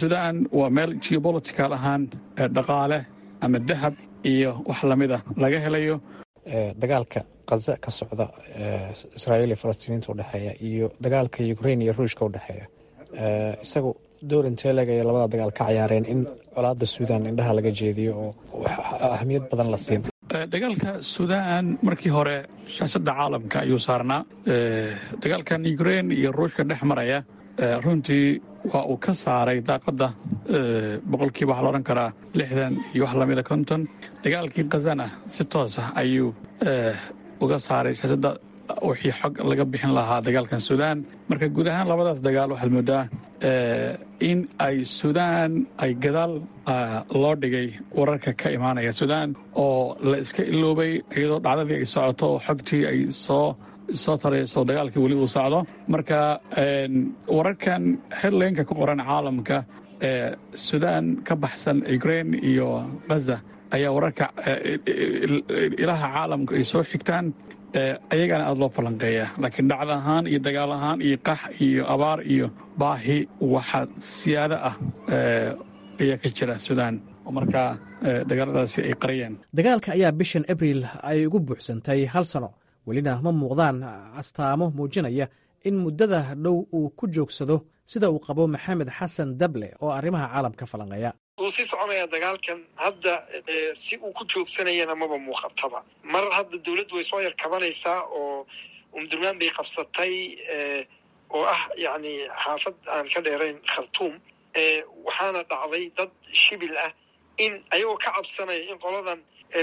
Suudaan waa meel geopolitical ahaan dhaqaale ama dahab iyo wax lamid a laga helayo. Dagaalka Qaza ka socda, Israa'iil iyo Falastiiniinta udhexeeya, iyo dagaalka Ukrain iyo Ruushka udhexeeya, isagu door intee leeg ayay labada dagaal ka cayaareen in colaadda Suudaan indhaha laga jeediyo oo ahamiyad badan la siin? Dagaalka Suudaan markii hore shaashadda caalamka ayuu saarnaa. Dagaalkan Ukrain iyo Ruushka dhex maraya runtii waa uu ka saaray daaqadda boqolkiiba waxaa la odhan karaa lixdan iyo wax lamida konton. Dagaalkii Khazana si toos ah ayuu uga saaray shaashadda wixii xog laga bixin lahaa dagaalkan Suudaan. Marka guud ahaan labadaas dagaal waxaad moodaa in ay Suudaan ay gadaal loo dhigay wararka ka imaanaya Suudaan oo la iska iloobay, iyadoo dhacdadii ay socoto oo xogtii ay soo soo tarayso, dagaalkii weli uu socdo. Marka wararkan headlineka ku qoran caalamka ee Suudaan ka baxsan Ukraine iyo Gaza ayaa wararka ilaha caalamka ay soo xigtaan, ayagana aada loo falanqeeya, laakiin dhacda ahaan iyo dagaal ahaan iyo qax iyo abaar iyo baahi waxa siyaado ah ayaa ka jira Suudaan oo markaa dagaaladaasi ay qariyeen. Dagaalka ayaa bishan Abriil ay ugu buuxsantay hal sano, welina ma muuqdaan astaamo muujinaya in muddada dhow uu ku joogsado, sida uu qabo Maxamed Xasan Dable oo arrimaha caalamka falanqeeya. Wuu sii soconayaa dagaalkan hadda, si uu ku joogsanayana maba muuqataba. Mar hadda dowladdu way soo yar kabanaysaa oo Umdurmaan bay qabsatay, oo ah yacni xaafad aan ka dheerayn Khartuum. Waxaana dhacday dad shibil ah in ayagoo ka cabsanaya in qoladan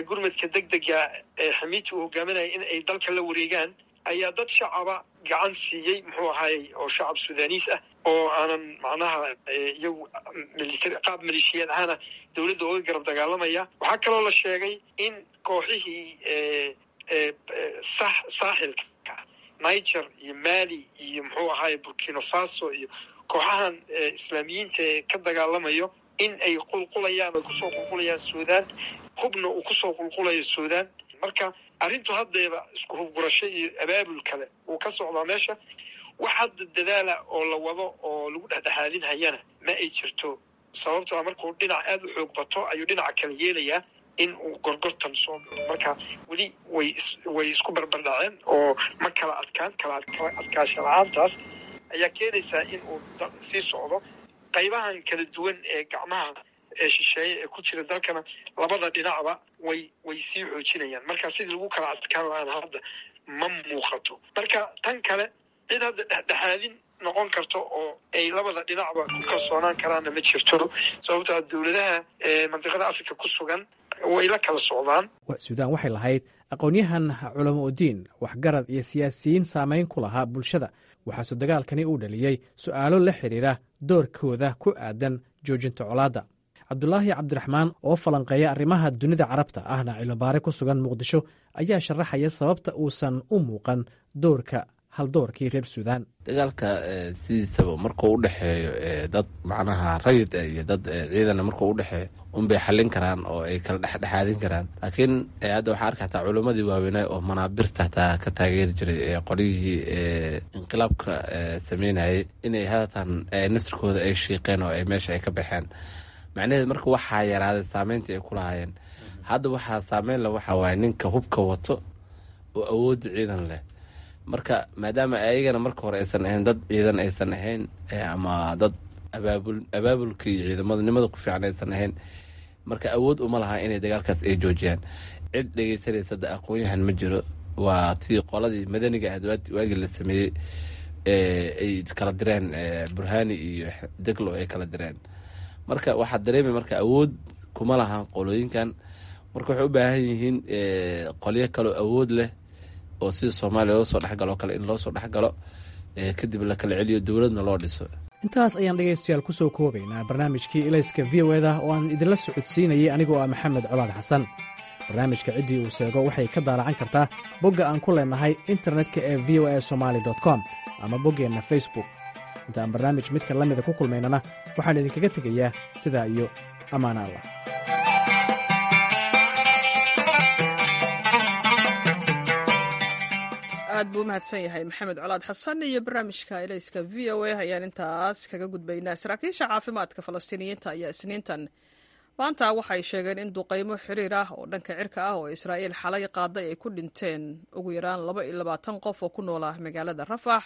gurmadka deg dega ee Xamiiti uu hogaaminaya in ay dalka la wareegaan ayaa dad shacaba gacan siiyey, muxuu ahaayey, oo shacab Suudaniis ah oo aanan macnaha iyagu military qaab maleeshiyaad ahaana dowladda uga garab dagaalamaya. Waxaa kaloo la sheegay in kooxihii Saaxilka, Niger iyo Mali iyo muxuu ahaaye Burkina Faso iyo kooxahan islaamiyiinta ee ka dagaalamayo in ay qulqulayaan, ay kusoo qulqulayaan Suudaan, hubna uu kusoo qulqulayo Suudaan. Marka arrintu haddeeba isku hubgurasho iyo abaabul kale uu ka socdaa meesha. Wax hadda dadaala oo la wado oo lagu dhexdhexaadinhayana ma ay jirto, sababtoo a markuu dhinac aada u xoog bato ayuu dhinaca kale yeelayaa in uu gorgortan soo galo. Marka weli way way isku barbardhaceen oo ma kala adkaan, kala adkaasha la-aantaas ayaa keenaysaa in uu sii socdo. Qaybahan kala duwan ee gacmaha ee shisheeye ee ku jira dalkana labada dhinacba way way sii xoojinayaan. Marka sidii lagu kala adkaan lahaan hadda ma muuqato. Marka tan kale, cid hadda dhexdhexaadin noqon karto oo ay labada dhinacba ku kalsoonaan karaanna ma jirto, sababtaa dowladaha mandiqada Africa ku sugan way la kala socdaan. Suudaan waxay lahayd aqoon-yahan, culamo udiin, waxgarad iyo siyaasiyiin saamayn ku lahaa bulshada. Waxaase dagaalkani uu dhaliyey su'aalo la xidhiira doorkooda ku aadan joojinta colaadda. Cabdulaahi Cabdiraxmaan oo falanqeeya arrimaha dunida Carabta ahna cilmibaare ku sugan Muqdisho ayaa sharaxaya sababta uusan u muuqan doorka haldoorkii reer Suudaan. Dagaalka sidiisaba markuu u dhexeeyo dad macnaha rayid iyo dad ciidana markuu udhexeeyo unbay xallin karaan oo ay kala dhexdhexaadin karaan. Laakiin hadda waxaa arka hataa culimmadii waaweynaa oo manaabirta hataa ka taageeri jiray qolyihii inqilaabka sameynayay inay haatan naftirkooda ay shiiqeen oo ay meesha ay ka baxeen. Macnaheed marka waxaa yaraaday saameyntii ay ku lahaayeen. Hadda waxaa saameyn leh waxaa waaye ninka hubka wato oo awoodda ciidan leh. Marka maadaama ayagana marka hore aysan ahayn dad ciidan aysan ahayn ama dad abaabul abaabulka iyo ciidamadnimada ku fiican aysan ahayn, marka awood uma laha inay dagaalkaas ay joojiyaan. Cid dhegeysanaysa da aqoon-yahan ma jiro. Waa tii qoladii madaniga ahayd waagii la sameeyey ay kala direen Burhani iyo Deglo ay kala direen. Marka waxaa dareemay marka awood kuma lahan qolooyinkan. Marka waxay u baahan yihiin qolyo kaleo awood leh oo sida Soomaaliya loo soo dhexgalo o kale in loo soo dhexgalo, kadib la kala celiyo, dowladna loo dhiso. Intaas ayaan dhegaystayaal ku soo koobaynaa barnaamijkii Ilayska V O eda oo aan idinla socodsiinayay anigoo ah Maxamed Colaad Xasan. Barnaamijka ciddii uu seego waxay ka daalacan kartaa bogga aan ku leenahay internetka ee v o a somali com ama boggeenna Facebook. Inta aan barnaamij midka la mida ku kulmaynana, waxaan idinkaga tegayaa sidaa iyo ammaana Allah. Aad buu u mahadsan yahay Maxamed Colaad Xasan iyo barnaamijka Ilayska V O A ayaan intaas kaga gudbaynaa. Saraakiisha caafimaadka Falastiiniyiinta ayaa Isniintan maanta waxay sheegeen in duqaymo xiriir ah oo dhanka cirka ah oo Israa'iil xalay qaaday ay ku dhinteen ugu yaraan laba iyo labaatan qof oo ku noolaa magaalada Rafax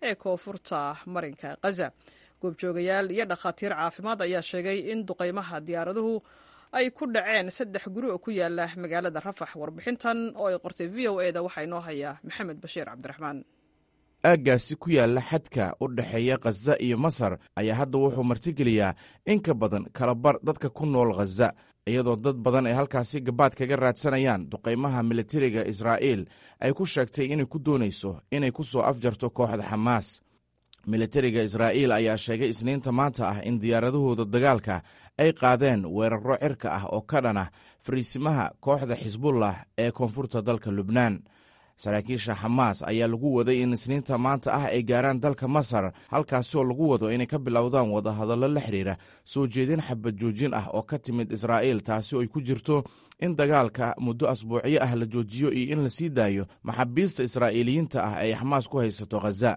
ee koonfurta marinka Khaza. Goobjoogayaal iyo dhakhaatiir caafimaad ayaa sheegay in duqaymaha diyaaraduhu ay ku dhaceen saddex guri oo ku yaala magaalada Rafax. Warbixintan oo ay qortay V O E da waxaa inoo hayaa Maxamed Bashiir Cabdiraxmaan. Aaggaasi ku yaalla xadka u dhexeeya Khaza iyo Masar ayaa hadda wuxuu martigeliyaa in ka badan kalabar dadka ku nool Khaza, iyadoo dad badan ay halkaasi gabaad kaga raadsanayaan duqaymaha militariga Israa'iil ay ku sheegtay inay ku doonayso inay ku soo afjarto kooxda Xamaas. Militariga Israa'iil ayaa sheegay Isniinta maanta ah in diyaaradahooda dagaalka ay qaadeen weerarro cirka ah oo ka dhan ah fariisimaha kooxda Xisbullah ee koonfurta dalka Lubnaan. Saraakiisha Xamaas ayaa lagu waday in Isniinta maanta ah ay gaaraan dalka Masar, halkaasoo lagu wado inay ka bilowdaan wadahadallo la xidhiira soo jeedin xabad joojin ah oo ka timid Israa'iil, taasi oo ay ku jirto in dagaalka muddo asbuucyo ah la joojiyo iyo in la sii daayo maxaabiista Israa'iiliyiinta ah ay Xamaas ku haysato Khaza.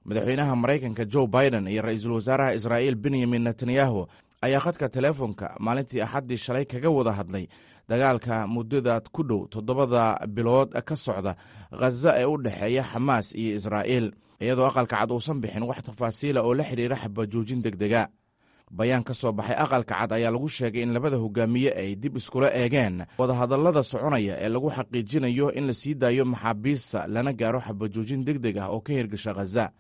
Madaxweynaha Maraykanka Joe Biden iyo ra-iisul wasaaraha Israa'iil Benyamin Netanyahu ayaa khadka teleefonka maalintii Axaddii shalay kaga wada hadlay dagaalka muddada ku dhow toddobada bilood ka socda Khaza ee u dhexeeya Xamaas iyo Israa'iil, iyadoo Aqalka Cad uusan bixin wax tafaasiila oo la xidhiira xabajoojin deg dega. Bayaan ka soo baxay Aqalka Cad ayaa lagu sheegay in labada hogaamiye ay dib iskula eegeen wadahadallada soconaya ee lagu xaqiijinayo in la sii daayo maxaabiista lana gaaro xabajoojin deg deg ah oo ka hirgasha Khaza.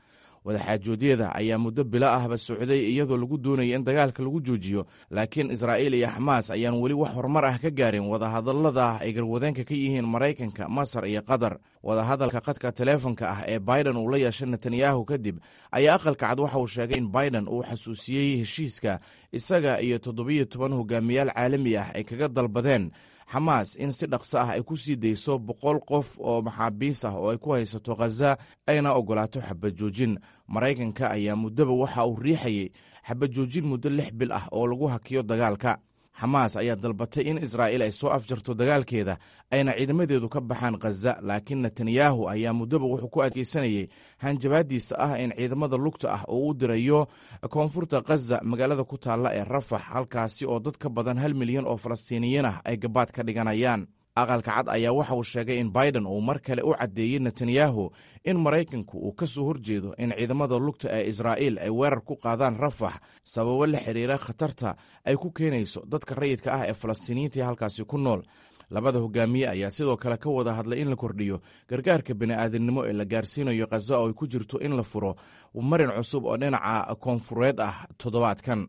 Wadaxaajoodyada ayaa muddo bilo ahba socday, iyadoo lagu doonaya in dagaalka lagu joojiyo, laakiin Israa'iil iyo Xamaas ayaan weli wax horumar ah ka gaarin wadahadallada ay garwadeenka ka yihiin Maraykanka, Masar iyo Qatar. Wadahadalka khadka teleefonka ah ee Biden uu la yeeshay Netanyahu kadib ayaa Aqalka Cad waxa uu sheegay in Biden uu xasuusiyey heshiiska isaga iyo toddobiyo toban hogaamiyaal caalami ah ay kaga dalbadeen Xamaas in si dhaqso ah ay ku sii dayso boqol qof oo maxaabiis ah oo ay ku haysato Khaza, ayna ogolaato xabajoojin. Maraykanka ayaa muddaba waxa uu riixayey xabajoojin muddo lix bil ah oo lagu hakiyo dagaalka. Xamaas ayaa dalbatay in Israa'iil ay soo afjarto dagaalkeeda, ayna ciidamadeedu ka baxaan Khaza, laakiin Netanyahu ayaa muddaba wuxuu ku adkeysanayey hanjabaadiisa ah in ciidamada lugta ah oo u dirayo koonfurta Khaza, magaalada ku taalla ee Rafax, halkaasi oo dad ka badan hal milyan oo Falastiiniyiin ah ay gabaad ka dhiganayaan. Aqalka Cad ayaa waxa uu sheegay in Biden uu mar kale u caddeeyey Netanyahu in Maraykanku uu ka soo horjeedo in ciidamada lugta ee Israa'iil ay weerar ku qaadaan Rafax, sababo la xiriira khatarta ay ku keenayso dadka rayidka ah ee Falastiiniyiinta ee halkaasi ku nool. Labada hogaamiye ayaa sidoo kale ka wada hadlay in la kordhiyo gargaarka bini'aadamnimo ee la gaarsiinayo Khaza, oo ay ku jirto in la furo marin cusub oo dhinaca koonfureed ah toddobaadkan.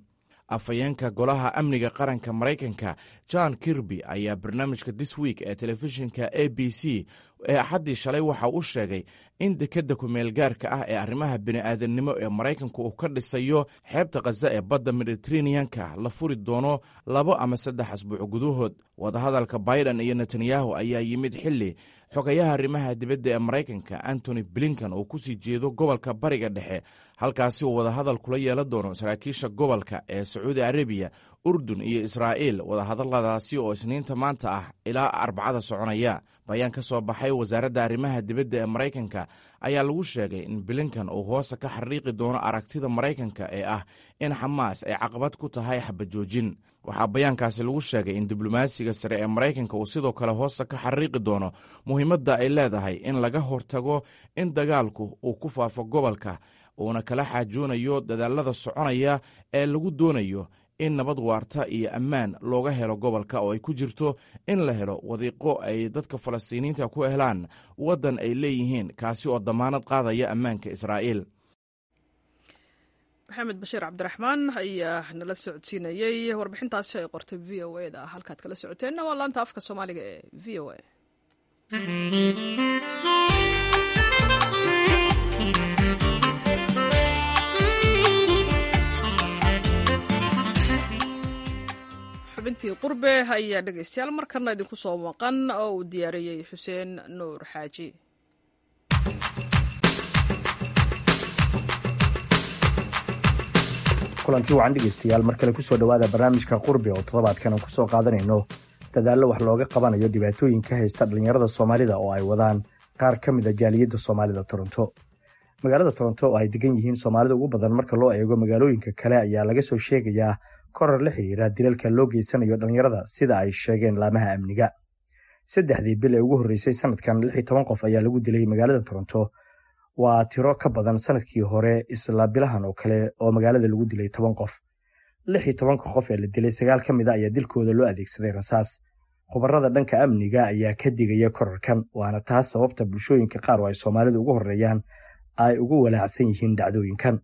Afhayeenka Golaha Amniga Qaranka Maraykanka John Kirby ayaa barnaamijka This Week ee telefishinka A B C ee Axaddii shalay waxa uu sheegay in dekedda kumeelgaarka ah ee arrimaha bini'aadamnimo ee Maraykanku uu ka dhisayo xeebta Khaza ee badda Mediteraneanka la furi doono labo ama saddex asbuuc gudahood. Wadahadalka Biden iyo Netanyahu ayaa yimid xilli xogayaha arrimaha dibadda ee Maraykanka Antony Blinken uu kusii jeedo gobolka Bariga Dhexe, halkaasi uu wadahadal kula yeelan doono saraakiisha gobolka ee Sacuudi Arabiya, Urdun iyo Israa'iil, wadahadaladaasi oo Isniinta maanta ah ilaa Arbacada soconaya. Bayaan ka soo baxay wasaaradda arrimaha dibadda ee Maraykanka ayaa lagu sheegay in Blinken uu hoosa ka xariiqi doono aragtida Maraykanka ee ah in Xamaas ay caqabad ku tahay xabajoojin. Waxaa bayaankaasi lagu sheegay in diblomaasiga sare ee Maraykanka uu sidoo kale hoosta ka xariiqi doono muhiimadda ay leedahay in laga hortago in dagaalku uu ku faafo gobolka, uuna kala xaajoonayo dadaalada soconaya ee lagu doonayo in nabad waarta iyo ammaan looga helo gobolka, oo ay ku jirto in la helo wadiiqo ay dadka Falastiiniyiinta ku helaan waddan ay leeyihiin, kaasi oo damaanad qaadaya ammaanka Israa'iil. Maxamed Bashiir Cabdiraxmaan ayaa nala socodsiinayey warbixintaasi ay qortay V O A da. Halkaad kala socoteenna waa laanta afka Soomaaliga ee V O A. Xubintii qurbe ayaa dhegeystayaal markana idinku soo maqan oo uu diyaariyey Xuseen Nuur Xaaji. Kulanti wacan dhegeystayaal, mar kale kusoo dhowaada barnaamijka Qurbi oo toddobaadkan aan kusoo qaadanayno dadaallo wax looga qabanayo dhibaatooyinka haysta dhallinyarada Soomaalida oo ay wadaan qaar ka mid a jaaliyadda Soomaalida Toronto. Magaalada Toronto oo ay degan yihiin Soomaalida ugu badan marka loo eego magaalooyinka kale ayaa laga soo sheegayaa korar la xiriira dilalka loo geysanayo dhallinyarada, sida ay sheegeen laamaha amniga. Saddexdii bil ee ugu horreysay sanadkan, lix iyo toban qof ayaa lagu dilay magaalada Toronto. Waa tiro ka badan sanadkii hore isla bilahan oo kale oo magaalada lagu dilay toban qof. Lix iyo tobanka qof ee la dilay, sagaal ka mid a ayaa dilkooda loo adeegsaday rasaas. Khubarada dhanka amniga ayaa ka digaya korarkan, waana taas sababta bulshooyinka qaar oo ay Soomaalidu ugu horreeyaan ay ugu walaacsan yihiin dhacdooyinkan.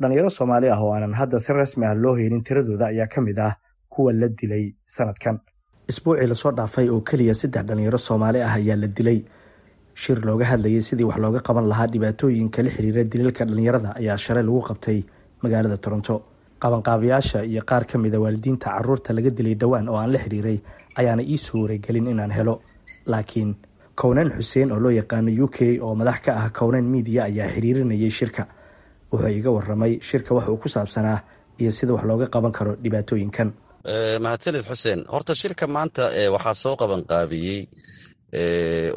Dhalinyaro Soomaali ah oo aanan hadda si rasmi ah loo helin tiradooda ayaa ka mid ah kuwa la dilay sanadkan. Isbuucii lasoo dhaafay oo keliya saddex dhalinyaro Soomaali ah ayaa la dilay. Shir looga hadlayay sidii wax looga qaban lahaa dhibaatooyinka la xiriira dilalka dhalinyarada ayaa shalay lagu qabtay magaalada Toronto. Qabanqaabayaasha iyo qaar ka mid a waalidiinta caruurta laga dilay dhowaan oo aan la xiriiray ayaana ii suuragelin inaan helo, laakiin Kownen Xuseen oo loo yaqaano U K oo madax ka ah Kownen Media ayaa xiriirinayay shirka. Wuxuu iga waramay shirka wax uu ku saabsanaa iyo sida wax looga qaban karo dhibaatooyinkan. Mahadsanid Xuseen. Horta shirka maanta waxaa soo qaban qaabiyey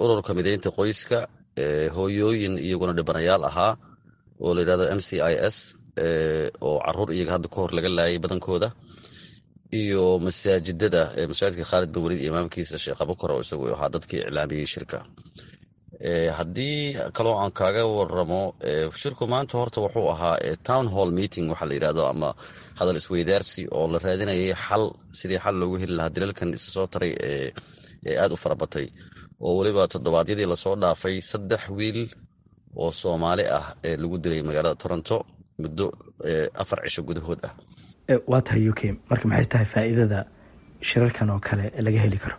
ururka mideynta qoyska, hooyooyin iyaguna dhibanayaal ahaa oo la yidhahdo M C I S, oo caruur iyaga hadda ka hor laga laayay badankooda, iyo masaajidada, masaajidka Khaalid bin Waliid imaamkiisa Sheekh Abukar oo isagu ahaa dadkii iclaamiyey shirka. Haddii kaloo aan kaaga waramo shirku maanta, horta wuxuu ahaa town hall meeting waxaa la yidhahdo, ama hadal isweydaarsi oo la raadinayay xal, sidii xal loogu heli lahaa dilalkan isa soo taray ee ee aada u farabatay, oo weliba toddobaadyadii lasoo dhaafay saddex wiil oo Soomaali ah ee lagu dilay magaalada Toronto muddo afar cisho gudahood ah. Waa tahay U K, marka maxay tahay faa'iidada shirarkan oo kale laga heli karo?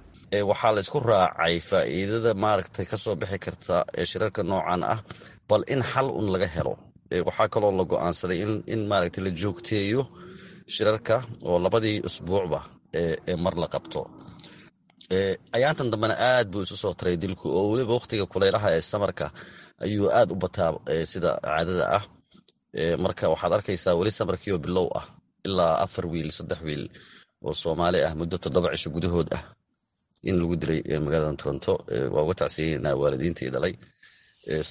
Waxaa la isku raacay faa'iidada maaragtay kasoo bixi karta ee shirarka noocan ah, bal in xal un laga helo. Waxaa kaloo la go-aansaday in in maaragtay la joogteeyo shirarka oo labadii usbuucba ee mar la qabto. Ayaantan dambena aad buu isu soo taray dilku, oo weliba waqtiga kulaylaha ee samarka ayuu aad u bataa sida caadada ah. Marka waxaad arkaysaa weli samarkiioo bilow ah ilaa afar wiil, saddex wiil oo Soomaali ah muddo toddoba cisho gudahood ah in lagu dilay magaalada Toronto. Waa uga tacsiyeynaa waalidiintii dhalay,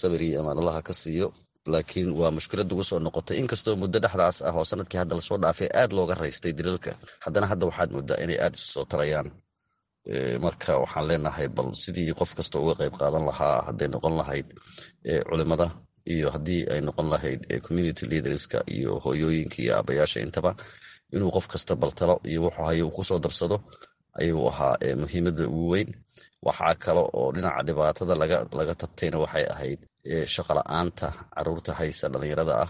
sabir iyo amaanulaha ka siiyo, laakiin waa mushkilad ugu soo noqotay. Inkastoo muddo dhexdaas ah oo sanadkii hadda lasoo dhaafay aad looga raystay dilalka, haddana hadda waxaad moodaa inay aad isu soo tarayaan. Marka waxaan leenahay bal sidii qof kasta uga qayb qaadan lahaa, hadday noqon lahayd culimada iyo haddii ay noqon lahayd community leaderska iyo hooyooyinka iyo aabayaasha intaba, inuu qof kasta bal talo iyo wuxuu hayo uu kusoo darsado ayuu ahaa muhiimada ugu weyn. Waxaa kale oo dhinaca dhibaatada laga tabtayna waxay ahayd shaqo la-aanta caruurta haysa dhalinyarada ah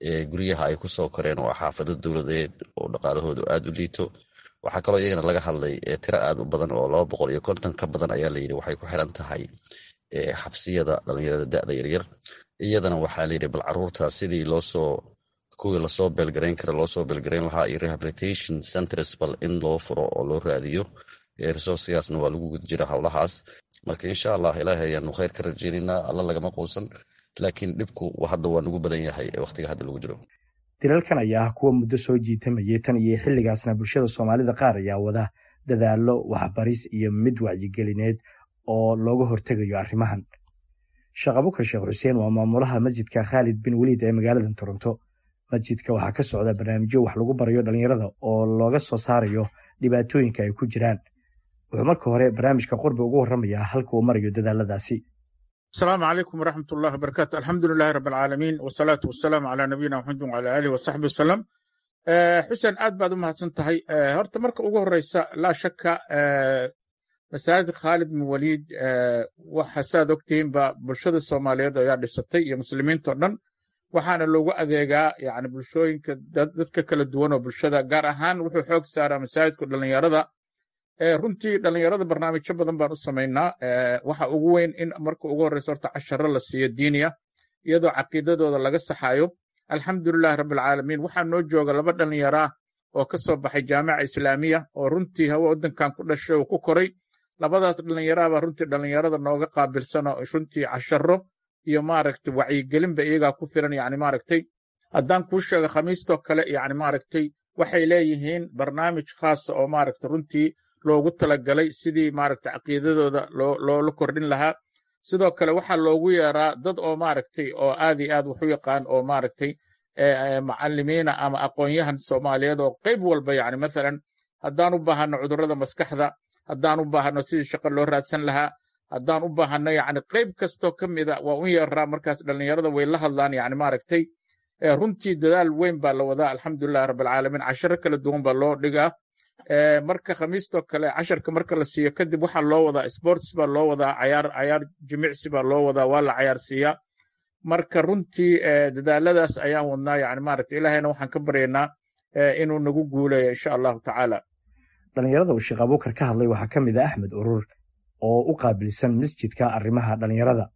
ee guryaha ay kusoo koreen oo xaafado dowladeed oo dhaqaalahoodu aad u liito. Waxaa kaloo iyagana laga hadlay tiro aad u badan oo laba boqol iyo konton ka badan ayaa layidhi waxay ku xiran tahay xabsiyada dhalinyarada da'da yaryar. Iyadana waxaa layidhi bal caruurta sidii loosoo kuwii lasoo beelgarayn kara loosoo beelgarayn lahaa iyo rehabilitation centers bal in loo furo oo loo raadiyo resourcegaasna waa lagu guda jira howlahaas. Marka insha Allah Ilaahay ayaanu khayr ka rajeynaynaa, Alla lagama quusan, laakiin dhibku hadda waa nagu badan yahay waqtiga hadda lagu jiro. Dilalkan ayaa ah kuwa muddo soo jiitamayay tan iyo xilligaasna bulshada Soomaalida qaar ayaa wada dadaallo waxbaris iyo mid wacyigelineed oo looga hortegayo arrimahan. Sheekh Abukar Sheekh Xuseen waa maamulaha Masjidka Khaalid bin Weliid ee magaalada Toronto. Masjidka waxaa ka socda barnaamijyo wax lagu barayo dhalinyarada oo looga soo saarayo dhibaatooyinka ay ku jiraan. Wuxuu marka hore barnaamijka Qurbi ugu warramayaa halka uu marayo dadaaladaasi. Asalaamu calaykum waraxmat ullahi wabarakaatu. Alxamdu lilahi rab alcaalamiin, wasalaatu wasalaamu calaa nabiyina Maxamed wacala aalihi wasaxbi wasalam. Xuseen, aad baad u mahadsan tahay. Horta marka ugu horeysa, laa shaka, masaajid Khaalid bin Waliid waxa saad ogtihiinba bulshada Soomaaliyeed ayaa dhisatay iyo muslimiinto dhan, waxaana loogu adeegaa yani bulshooyinka dadka kala duwan oo bulshada, gaar ahaan wuxuu xoog saaraa masaajidku dhalinyarada. Runtii dhalinyarada barnaamijyo badan baan u samaynaa. Waxa ugu weyn in marka ugu horreysa horta casharo la siiyo diiniya, iyadoo caqiidadooda laga saxayo. Alxamdulilahi rabbilcaalamiin, waxaa noo jooga laba dhalinyaraa oo ka soo baxay Jaamica Islaamiya oo runtii hawa waddankan ku dhashay oo ku koray. Labadaas dhalinyaraabaa runtii dhalinyarada nooga qaabilsan oo runtii casharo iyo maaragtay wacyigelinba iyagaa ku filan. Yani maaragtay haddaan kuu sheego, khamiistoo kale yani maaragtay waxay leeyihiin barnaamij khaasa oo maaragtay runtii loogu talagalay sidii maaragtay caqiidadooda loo loola kordhin lahaa. Sidoo kale waxaa loogu yeeraa dad oo maaragtay oo aad iyo aad wax u yaqaan oo maaragtay macallimiina ama aqoon-yahan Soomaaliyeed oo qayb walba, yani mathalan haddaan u baahano cudurrada maskaxda, haddaan u baahano sidii shaqo loo raadsan lahaa, haddaan u baahano yani qayb kastoo ka mida waa u yeeraa. Markaas dhalinyarada way la hadlaan. Yani maaragtay runtii dadaal weyn baa la wadaa, alxamdulilahi rabbilcaalamiin. Casharo kala duwan baa loo dhigaa. Marka khamiistoo kale casharka marka la siiyo kadib, waxaa loo wadaa sports baa loo wadaa, cayaar cayaar jimicsi baa loo wadaa, waa la cayaarsiiyaa. Marka runtii dadaaladaas ayaan wadnaa. Yani maaragtay Ilaahayna waxaan ka baryaynaa inuu nagu guuleeyo, insha Allahu tacaala. Dhalinyarada uu Sheekh Abuukar ka hadlay waxaa ka mid ah Axmed Urur oo u qaabilsan masjidka arrimaha dhalinyarada.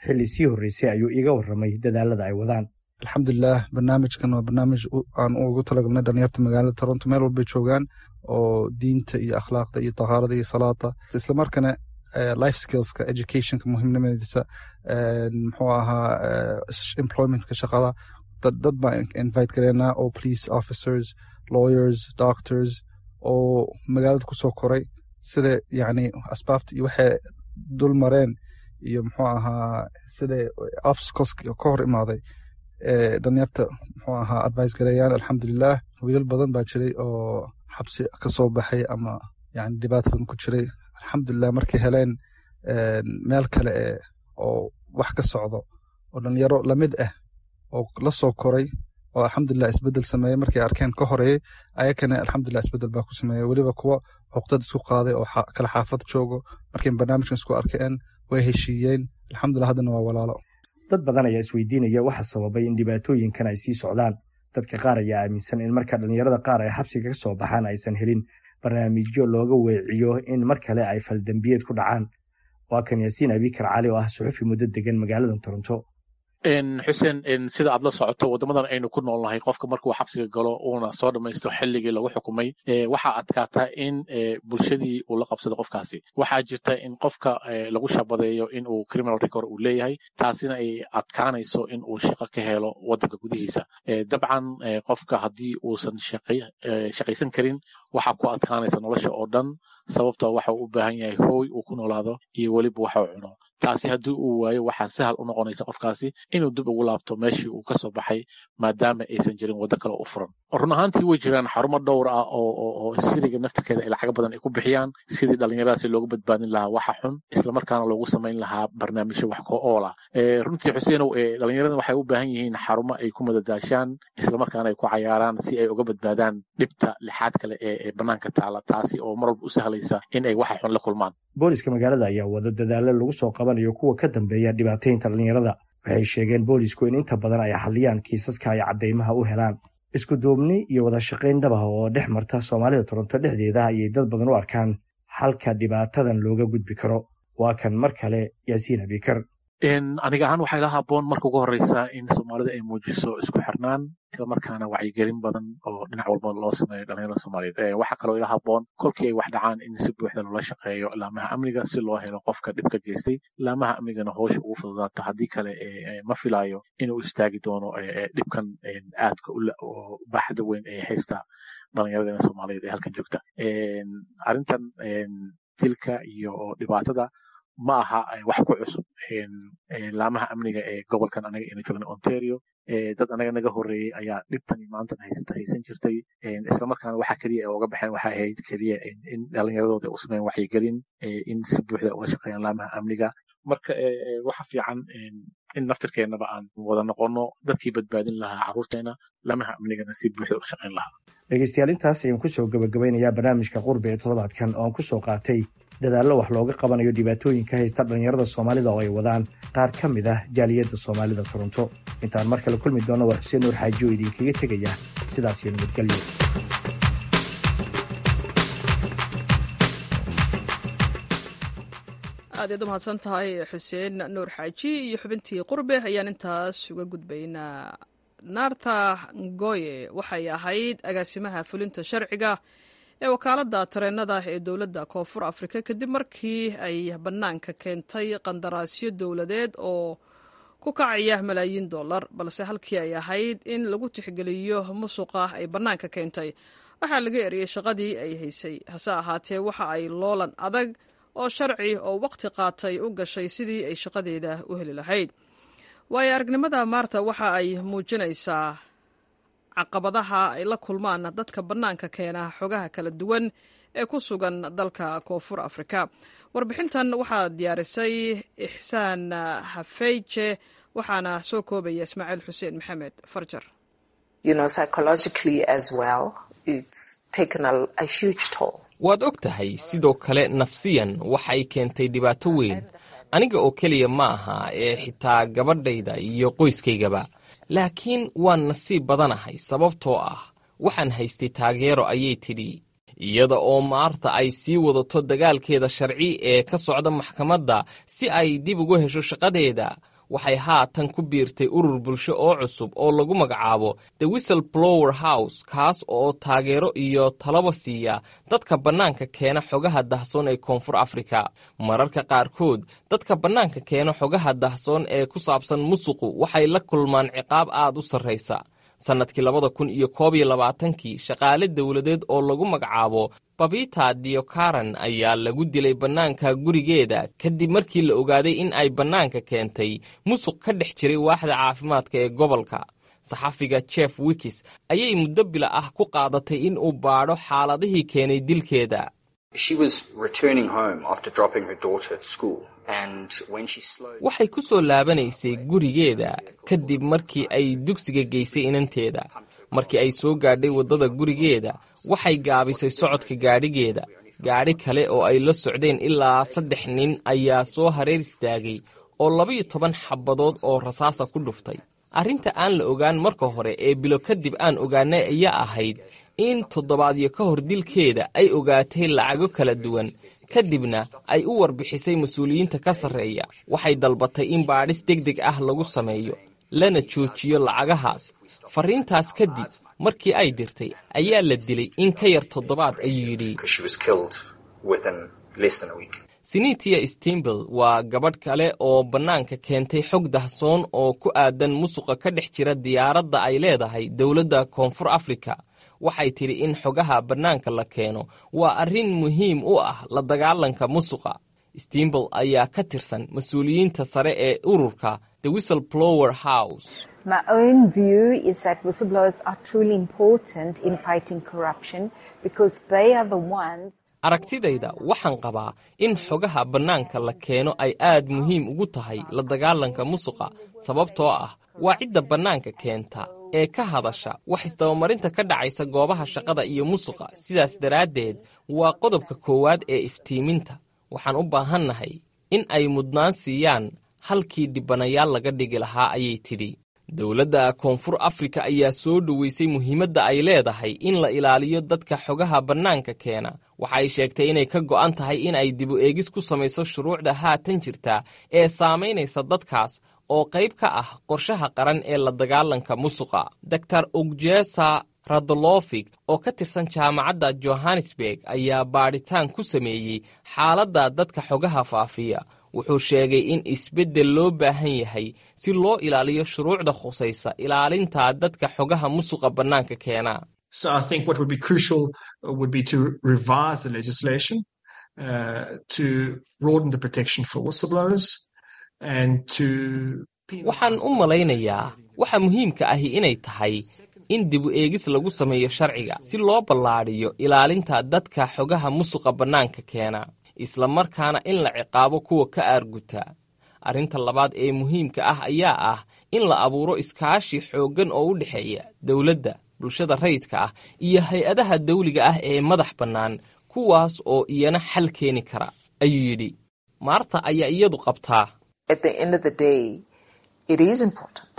Xilli sii horreysay ayuu iiga warramay dadaalada ay wadaan. Alxamdulilah, barnaamijkan waa barnaamij aan ugu talagalnay dhalinyarta magaalada Toronto meel walbay joogaan, oo diinta iyo akhlaaqda iyo tahaarada iyo salaada, islamarkaana life skillska, educationka muhiimnimadiisa, muxuu ahaa, employmentka, shaqada. Dad baan invite gareynaa oo police officers, lawyers, doctors oo magaalada kusoo koray, sida yacni asbaabta iyo waxay dul mareen iyo muxuu ahaa sida obstacles ka hor imaaday dhalinyarta muxuu ahaa advice gareeyaan. Alxamdulilah, wiilal badan baa jiray oo xabsi ka soo baxay ama yani dhibaatadan ku jiray. Alxamdulilah, markay heleen meel kale e oo wax ka socdo oo dhalinyaro lamid ah oo la soo koray oo alxamdulilah isbedel sameeyey markay arkeen ka horeeyey, ayakana alxamdulilah isbedel baa ku sameeyey. Weliba kuwa cuqdad isku qaaday oo kala xaafad joogo, markay barnaamijkan isku arkeen way heshiiyeen. Alxamdulilah, haddana waa walaalo. Dad badan ayaa isweydiinaya waxa sababay in dhibaatooyinkan ay sii socdaan. Dadka qaar ayaa aaminsan in marka dhallinyarada qaar ay xabsiga ka soo baxaan aysan helin barnaamijyo looga weeciyo in mar kale ay faldembiyeed ku dhacaan. Waa kan Yaasiin Abikar Cali oo ah suxufi muddo degan magaalada Toronto. Xuseen, sida aad la socoto, waddamadan aynu ku noolnahay, qofka markuu xabsiga galo uuna soo dhammaysto xilligii lagu xukumay, waxaa adkaata in bulshadii uu la qabsado qofkaasi. Waxaa jirta in qofka lagu shabadeeyo in uu criminal record uu leeyahay, taasina ay adkaanayso in uu shaqo ka helo waddanka gudihiisa. Dabcan qofka haddii uusan shaqaysan karin, waxaa ku adkaanaysa nolosha oo dhan, sababtoo waxa uu u baahan yahay hooy uu ku noolaado iyo weliba waxa uu cuno. Taasi haddii uu waayo, waxaa sahal u noqonaysa qofkaasi inuu dib ugu laabto meeshii uu kasoo baxay, maadaama aysan jirin waddo kale u furan. Run ahaantii way jiraan xarumo dhowr ah oo oo siriga naftirkeeda ay lacago badan ay ku bixiyaan sidii dhallinyaradaasi loogu badbaadin lahaa waxa xun, islamarkaana loogu samayn lahaa barnaamijyo wax ku ool ah. Runtii Xuseenow, dhallinyaradan waxay u baahan yihiin xarumo ay ku madadaashaan, islamarkaana ay ku cayaaraan, si ay uga badbaadaan dhibta lixaad kale ee bannaanka taala, taasi oo mar walba u sahlaysa in ay waxa xun la kulmaan. Booliska magaalada ayaa wado dadaalo lagu soo qabanayo kuwa ka dambeeya dhibaataynta dhallinyarada. Waxay sheegeen boolisku in inta badan ay xalliyaan kiisaska ay caddaymaha u helaan. Isku duubni iyo wada shaqayn dhab ah oo dhex marta Soomaalida Toronto dhexdeeda ayay dad badan u arkaan xalka dhibaatadan looga gudbi karo. Waa kan mar kale Yaasiin Abikar. Aniga ahaan waxay la haboon marka ugu horeysa in Soomaalida ay muujiso isku xirnaan, islamarkaana wacyigelin badan oo dhinac walba loo sameeyo dhalinyarada Soomaaliyeed. Waxaa kaloo ila haboon kolkii ay wax dhacaan in si buuxda loola shaqeeyo laamaha amniga, si loo helo qofka dhibka geystay, laamaha amnigana howsha ugu fududaato. Haddii kale ma filayo inuu istaagi doono dhibkan aadka u baaxda weyn ee haysta dhalinyaradena Soomaaliyeed ee halkan joogta. Arrintan dilka iyo dhibaatada ma aha wax ku cusub laamaha amniga ee gobolkan anaga aynu joogna, Ontario. Dad anaga naga horreeyey ayaa dhibtan iyo maantan haysata haysan jirtay, islamarkaana waxa keliya ee uga baxeen waxay ahayd keliya in dhalinyaradooda u sameeyaan wacyigelin, in si buuxda ula shaqeeyaan laamaha amniga. Marka waxa fiican in naftirkeennaba aan wada noqono dadkii badbaadin lahaa carruurteena, laamaha amnigana si buuxda ula shaqeyn lahaa. Dhegeystayaal, intaas ayaan kusoo gabagabeynayaa barnaamijka Qurbi ee toddobaadkan oo aan kusoo qaatay dadaallo wax looga qabanayo dhibaatooyinka haysta dhallinyarada Soomaalida oo ay wadaan qaar ka mid ah jaaliyadda Soomaalida Toronto. Intaan mar kale kulmi doonno, waa Xuseen Nuur Xaaji oo idinkaga tegaya sidaas iyo nabadgelyo. Aad ayaad u mahadsan tahay Xuseen Nuur Xaaji iyo xubintii Qurbe ayaan intaas uga gudbaynaa. Naarta Ngoye waxay ahayd agaasimaha fulinta sharciga ee wakaaladda tareenada ee dowladda Koonfur Afrika kadib markii ay bannaanka keentay qandaraasyo dowladeed oo ku kacaya malaayiin dollar, balse halkii ay ahayd in lagu tixgeliyo musuqa ay bannaanka keentay, waxaa laga eriyey shaqadii ay haysay. Hase ahaatee, waxa ay loolan adag oo sharci oo waqti qaatay u gashay sidii ay shaqadeeda u heli lahayd. Waayo aragnimada Maarta waxa ay muujinaysaa caqabadaha ay la kulmaan dadka bannaanka keena xogaha kala duwan ee ku sugan dalka Koonfur Afrika. Warbixintan waxaa diyaarisay Ixsaan Hafeyje, waxaana soo koobaya Ismaaciil Xuseen Maxamed Farjar. Waad og tahay, sidoo kale nafsiyan waxay keentay dhibaato weyn. Aniga oo keliya ma aha ee xitaa gabadhayda iyo qoyskaygaba. Laakiin waan nasiib badanahay, sababtoo ah waxaan haystay taageero, ayay tidhi. Iyada oo Maarta ay sii wadato dagaalkeeda sharci ee ka socda maxkamadda si ay dib ugu hesho shaqadeeda, waxay haatan ku biirtay urur bulsho oo cusub oo lagu magacaabo The Whistle Blower House, kaas oo taageero iyo talaba siiya dadka bannaanka keena xogaha dahsoon ee Koonfur Afrika. Mararka qaarkood dadka bannaanka keena xogaha dahsoon ee ku saabsan musuqu waxay la kulmaan ciqaab aad u sarraysa. Sannadkii labada kun iyo koob iyo labaatankii, shaqaale dowladeed oo lagu magacaabo Babita Diokaran ayaa lagu dilay bannaanka gurigeeda kadib markii la ogaaday in ay bannaanka keentay musuq ka dhex jiray waaxda caafimaadka ee gobolka. Saxafiga Jeff Wikis ayay muddo bila ah ku qaadatay in uu baadho xaaladihii keenay dilkeeda. Waxay ku soo laabanaysay gurigeeda kadib markii ay dugsiga geysay inanteeda. Markii ay soo gaadhay waddada gurigeeda, waxay gaabisay socodka gaadhigeeda. Gaadhi kale oo ay la socdeen ilaa saddex nin ayaa soo hareer istaagay oo labaiyo toban xabadood oo rasaasa ku dhuftay. Arrinta aan la ogaan marka hore ee bilo kadib aan ogaanay ayaa ahayd in toddobaadyo ka hor dilkeeda ay ogaatay lacago kala duwan, kadibna ay u warbixisay mas-uuliyiinta ka sarreeya. Waxay dalbatay in baadhis deg deg ah lagu sameeyo. lana joojiyo lacagahaas. Fariintaas kadib markii ay dirtay ayaa la dilay in ka yar toddobaad, ayuu yidhi. Sinitia Stimbel waa gabadh kale oo bannaanka keentay xog dahsoon oo ku aadan musuqa ka dhex jira diyaaradda ay leedahay dowladda Koonfur Afrika. Waxay tidhi in xogaha bannaanka la keeno waa arrin muhiim u ah la dagaalanka musuqa. Stimbel ayaa ka tirsan mas-uuliyiinta sare ee ururka The Whistleblower House. My own view is that whistleblowers are truly important in fighting corruption because they are the ones. Aragtidayda waxaan qabaa in xogaha bannaanka la keeno ay aad muhiim ugu tahay la dagaalanka musuqa, sababtoo ah waa cidda bannaanka keenta ee ka hadasha wax isdabamarinta ka dhacaysa goobaha shaqada iyo musuqa. Sidaas daraaddeed waa qodobka koowaad ee iftiiminta. Waxaan u baahannahay in ay mudnaan siiyaan halkii dhibanayaal laga dhigi lahaa, ayay tidhi. Dowladda Koonfur Afrika ayaa soo dhoweysay muhiimadda ay leedahay in la ilaaliyo dadka xogaha bannaanka keena. Waxa ay sheegtay inay ka go'an tahay in ay dibu eegis ku samayso shuruucda haatan jirta ee saamaynaysa dadkaas oo qayb ka ah qorshaha qaran ee la dagaalanka musuqa. Doctor Ugjesa Radolofig oo ka tirsan jaamacadda Johannesburg ayaa baadhitaan ku sameeyey xaaladda dadka xogaha faafiya. Wuxuu sheegay in isbeddel loo baahan yahay si loo ilaaliyo shuruucda khusaysa ilaalinta dadka xogaha musuqa bannaanka keena. So I think what would be crucial would be to revise the legislation, uh, to broaden the protection for whistleblowers and to. Waxaan u malaynayaa waxa muhiimka ahi inay tahay in dibu eegis lagu sameeyo sharciga si loo ballaadhiyo ilaalinta dadka xogaha musuqa bannaanka keena, isla markaana in la ciqaabo kuwa ka aarguta. Arrinta labaad ee muhiimka ah ayaa ah in la abuuro iskaashi xooggan oo u dhexeeya dowladda, bulshada rayidka ah iyo hay-adaha dawliga ah ee madax bannaan, kuwaas oo iyana xal keeni kara, ayuu yidhi. Maarta ayaa iyadu qabtaa. At the end of the day, it is important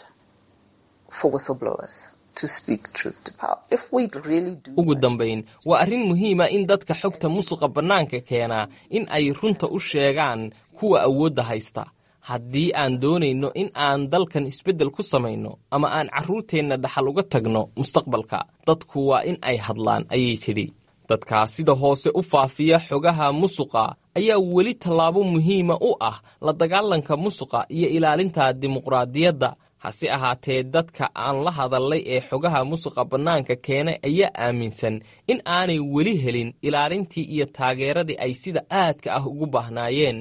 for whistleblowers to speak truth to power. If we really do. Ugu dambayn waa arrin muhiima in dadka xogta musuqa bannaanka keenaa in ay runta u sheegaan kuwa awoodda haysta. Haddii aan doonayno in aan dalkan isbeddel ku samayno ama aan carruurteenna dhaxal uga tagno mustaqbalka, dadku waa in ay hadlaan, ayay tidhi. Dadkaa sida hoose u faafiya xogaha musuqa ayaa weli tallaabo muhiima u ah la dagaalanka musuqa iyo ilaalinta dimuqraadiyadda. Hase ahaatee dadka aan la hadallay ee xogaha musuqa bannaanka keenay ayaa aaminsan in aanay weli helin ilaalintii iyo taageeradii ay sida aadka ah ugu baahnaayeen.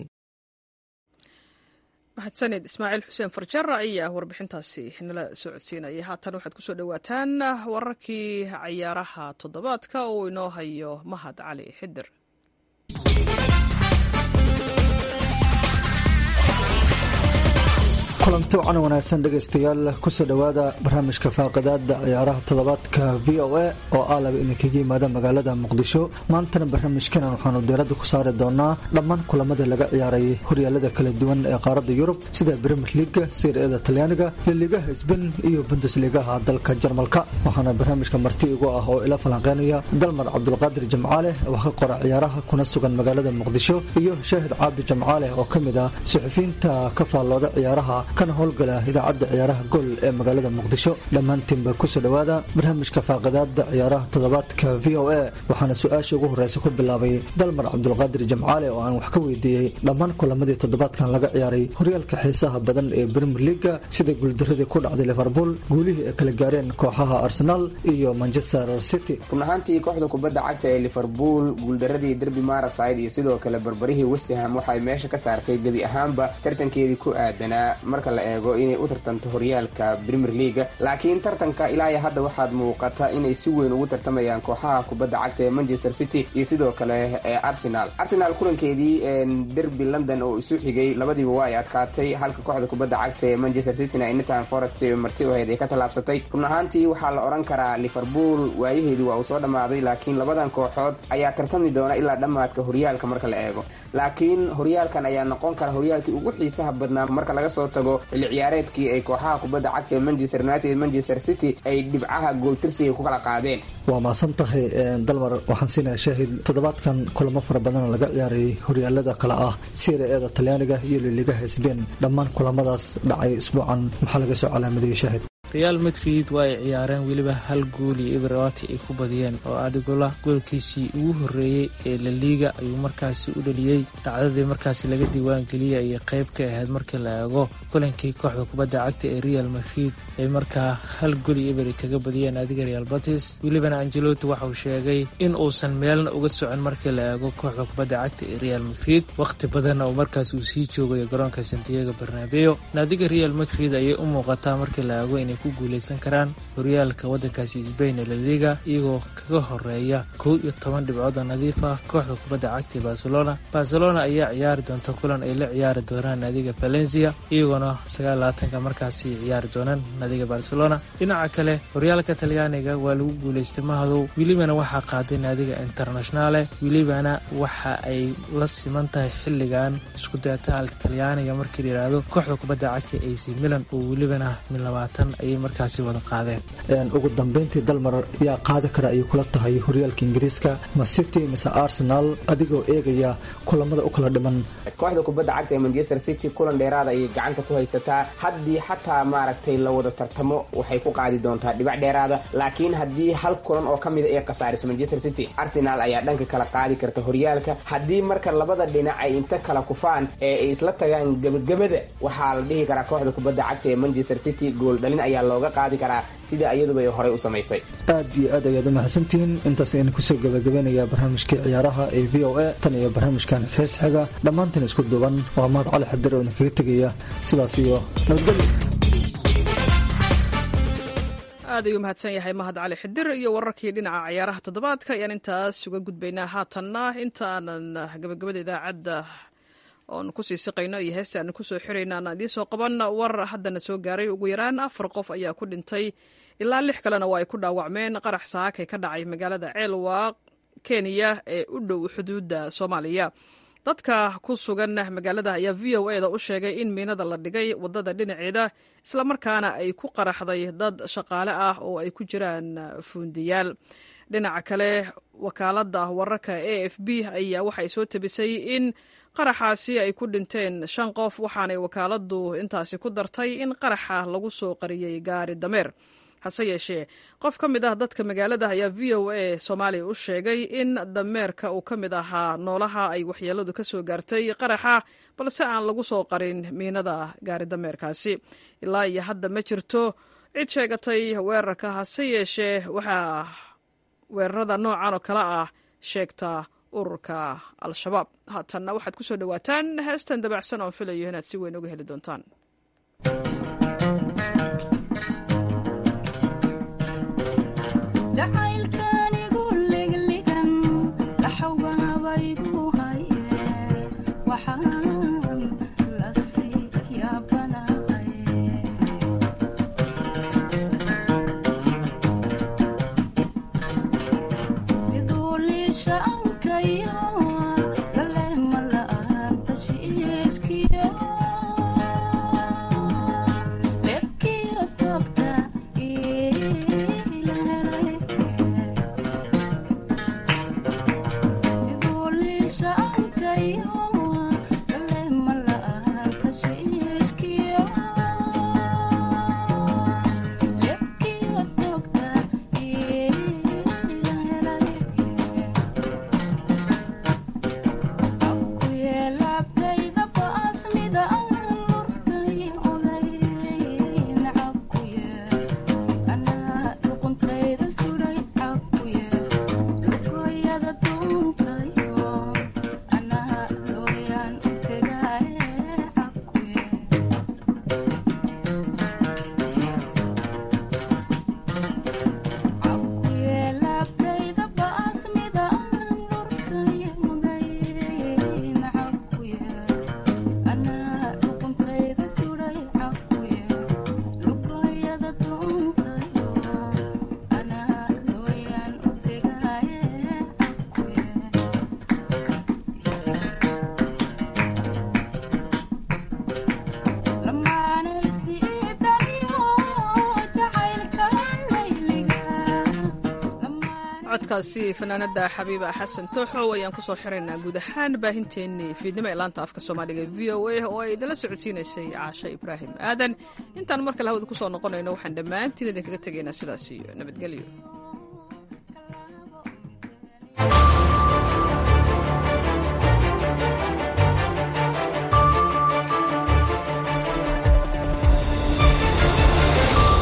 Mahadsanid Ismaaciil Xuseen Farjara ayaa warbixintaasi nala soo codsiinaya. Haatan waxaad kusoo dhowaataan wararkii cayaaraha toddobaadka oo inoo hayo Mahad Cali Xidir. Kulanti wacan wanaagsan dhegaystayaal, kusoo dhowaada barnaamijka faaqidaada ciyaaraha toddobaadka V O A oo aalaba idinkaga yimaada magaalada Muqdisho. Maantana barnaamijkanan waxaanu diiradda ku saari doonaa dhammaan kulamada laga ciyaaray horyaalada kala duwan ee qaaradda Yurub sida Premier League, Serie A-da Talyaaniga, Laligaha Spain iyo Bundesligaha dalka Jarmalka. Waxaana barnaamijka marti igu ah oo ila falanqeynaya Dalmar Cabdulqaadir Jamcaale oo ka qora ciyaaraha kuna sugan magaalada Muqdisho, iyo Shaahid Caabi Jamcaale oo ka mid ah suxufiyiinta ka faallooda ciyaaraha kana howlgala idaacadda ciyaaraha Gool ee magaalada Muqdisho. Dhammaantiinba kusoo dhowaada barnaamijka faaqidaada ciyaaraha toddobaadka V O A. Waxaana su-aasha ugu horeysa ku bilaabay Dalmar Cabdulqaadir Jamcaale oo aan wax ka weydiiyey dhammaan kulamadii toddobaadkan laga ciyaaray horyaalka xiisaha badan ee Premier League, sida guuldaradii ku dhacday Liverpool, guulihii ay kala gaareen kooxaha Arsenal iyo Manchester City. Run ahaantii kooxda kubadda cagta ee Liverpool guuldaradii derby Merseyside iyo sidoo kale barbarihii West Ham waxay meesha ka saartay gebi ahaanba tartankeedii ku aadanaa marka la eego inay u tartanto horyaalka Premier League. Laakiin tartanka ilaa iyo hadda waxaad muuqata inay si weyn ugu tartamayaan kooxaha kubadda cagta ee Manchester City iyo sidoo kale ee Arsenal. Arsenal kulankeedii derby London oo isu xigay labadiiba waa ay adkaatay, halka kooxda kubadda cagta ee Manchester City na Nottingham Forest marti u ahayd ay ka tallaabsatay. Run ahaantii waxaa la oran karaa Liverpool waayaheedu waa uu soo dhammaaday, laakiin labadan kooxood ayaa tartami doona ilaa dhammaadka horyaalka marka la eego. Laakiin horyaalkan ayaa noqon kara horyaalkii ugu xiisaha badnaa marka laga soo tago tago xilli ciyaareedkii ay kooxaha kubadda cagta ee Manchester United iyo Manchester City ay dhibcaha gooltirsiga ku kala qaadeen. Waa mahadsan tahay Dalmar. Waxaan siinayaa Shaahid. Toddobaadkan kulamo fara badan laga ciyaarayay horyaalada kale ah Serie A-da Talyaaniga iyo Liligaha Spain. Dhammaan kulamadaas dhacay isbuucan maxaa laga soo calaamadiyey, Shaahid? Real Madrid waa ay ciyaareen, weliba hal gool iyo eber waati ay ku badiyeen oo Adigola goolkiisii ugu horreeyey ee La Liga ayuu markaasi u dhaliyey. Dhacdadii markaasi laga diiwaangeliyey ayay qayb ka ahayd markii la eego kulankii kooxda kubadda cagta ee Real Madrid ay markaa hal gool iyo eber ay kaga badiyeen adiga Real Betis. Welibana Ancelotti waxa uu sheegay in uusan meelna uga socon markii la eego kooxda kubadda cagta ee Real Madrid, wakhti badanna uu markaas uu sii joogayo garoonka Santiago Bernabeu. Naadiga Real Madrid ayay u muuqataa markii la eego inay ku guuleysan karaan horyaalka waddankaasi Spain ee La Liga, iyagoo kaga horeeya kow iyo toban dhibcood oo nadiif ah kooxda kubadda cagta ee Barcelona. Barcelona ayaa ciyaari doonta kulan ay la ciyaari doonaan naadiga Valencia, iyagoona sagaal labaatanka markaasi ciyaari doonaan naadiga Barcelona. Dhinaca kale, horyaalka Talyaaniga waa lagu guuleystay mahadow, welibana waxaa qaaday naadiga Internationale, welibana waxa ay la siman tahay xilligan isku dayataal Talyaaniga markii la yidhaahdo kooxda kubadda cagta A C Milan oo welibana min labaatan ayay markaasi wada qaadeen. Ugu dambeyntii Dalmar, yaa qaadi kara ayay kula tahay horyaalka Ingiriiska, ma City mise Arsenal, adigoo eegaya kulamada u kala dhiman? Kooxda kubadda cagta ee Manchester City kulan dheeraada ayay gacanta ku haysataa. Haddii xataa maaragtay la wada tartamo waxay ku qaadi doontaa dhibac dheeraada, laakiin haddii hal kulan oo ka mida ay khasaariso Manchester City, Arsenal ayaa dhanka kala qaadi karta horyaalka. Haddii marka labada dhinac ay inta kala kufaan ee ay isla tagaan gebagabada, waxaa la dhihi karaa kooxda kubadda cagta ee Manchester City gool dhalin ayaa looga qaadi karaa sida iyaduba ay horey u samaysay. Aad iyo aad ayaad u mahadsantihiin. Intaas ayaan kusoo gabagabeynayaa barnaamijkii ciyaaraha ee V O A. Tan iyo barnaamijkan hees xiga, dhammaantiin isku duuban waa Mahad Cali Xadir oo idinkaga tegaya sidaas iyo nabadgelyo. Aad ayuu mahadsan yahay Mahad Cali Xidir iyo wararkii dhinaca ciyaaraha toddobaadka ayaan intaas uga gudbaynaa. Haatanna intaanan gabagabada idaacadda oon kusii siqayno iyo heesta aanu kusoo xirayna aan idiin soo qaban war haddana soo gaaray. Ugu yaraan afar qof ayaa ku dhintay, ilaa lix kalena waa ay ku dhaawacmeen qarax saakay ka dhacay magaalada Ceelwaaq, Kenya ee u dhow xuduudda Soomaaliya. Dadka ku sugan magaalada ayaa V O A da u sheegay in miinada la dhigay waddada dhinaceeda, islamarkaana ay ku qaraxday dad shaqaale ah oo ay ku jiraan fuundiyaal. Dhinaca kale, wakaaladda wararka A F B ayaa waxay soo tabisay in qaraxaasi ay ku dhinteen shan qof, waxaanay wakaaladdu intaasi ku dartay in qaraxa lagu soo qariyey gaari dameer. Hase yeeshee, qof ka mid ah dadka magaalada ayaa V O A Soomaaliya u sheegay in dameerka uu ka mid ahaa noolaha ay waxyeeladu ka soo gaartay qaraxa, balse aan lagu soo qarin miinada gaari dameerkaasi. Ilaa iyo hadda ma jirto cid sheegatay weerarka, hase yeeshee waxaa weerarada noocan oo kale ah sheegta ururka Al-Shabaab. Haatanna waxaad ku soo dhowaataan heestan dabacsan oon filayo inaad si weyn uga heli doontaan. Siduu liisha ankayo Codkaasi fanaanada Xabiiba Xasan Tooxow ayaan kusoo xiraynaa guud ahaan baahinteennii fiidnimo ee laanta afka Soomaaliga V O A oo ay idinla socodsiinaysay Caashe Ibraahim Aadan. Intaan mar kale hawada kusoo noqonayno, waxaan dhammaantiin idinkaga tegaynaa sidaas iyo nabadgelyo.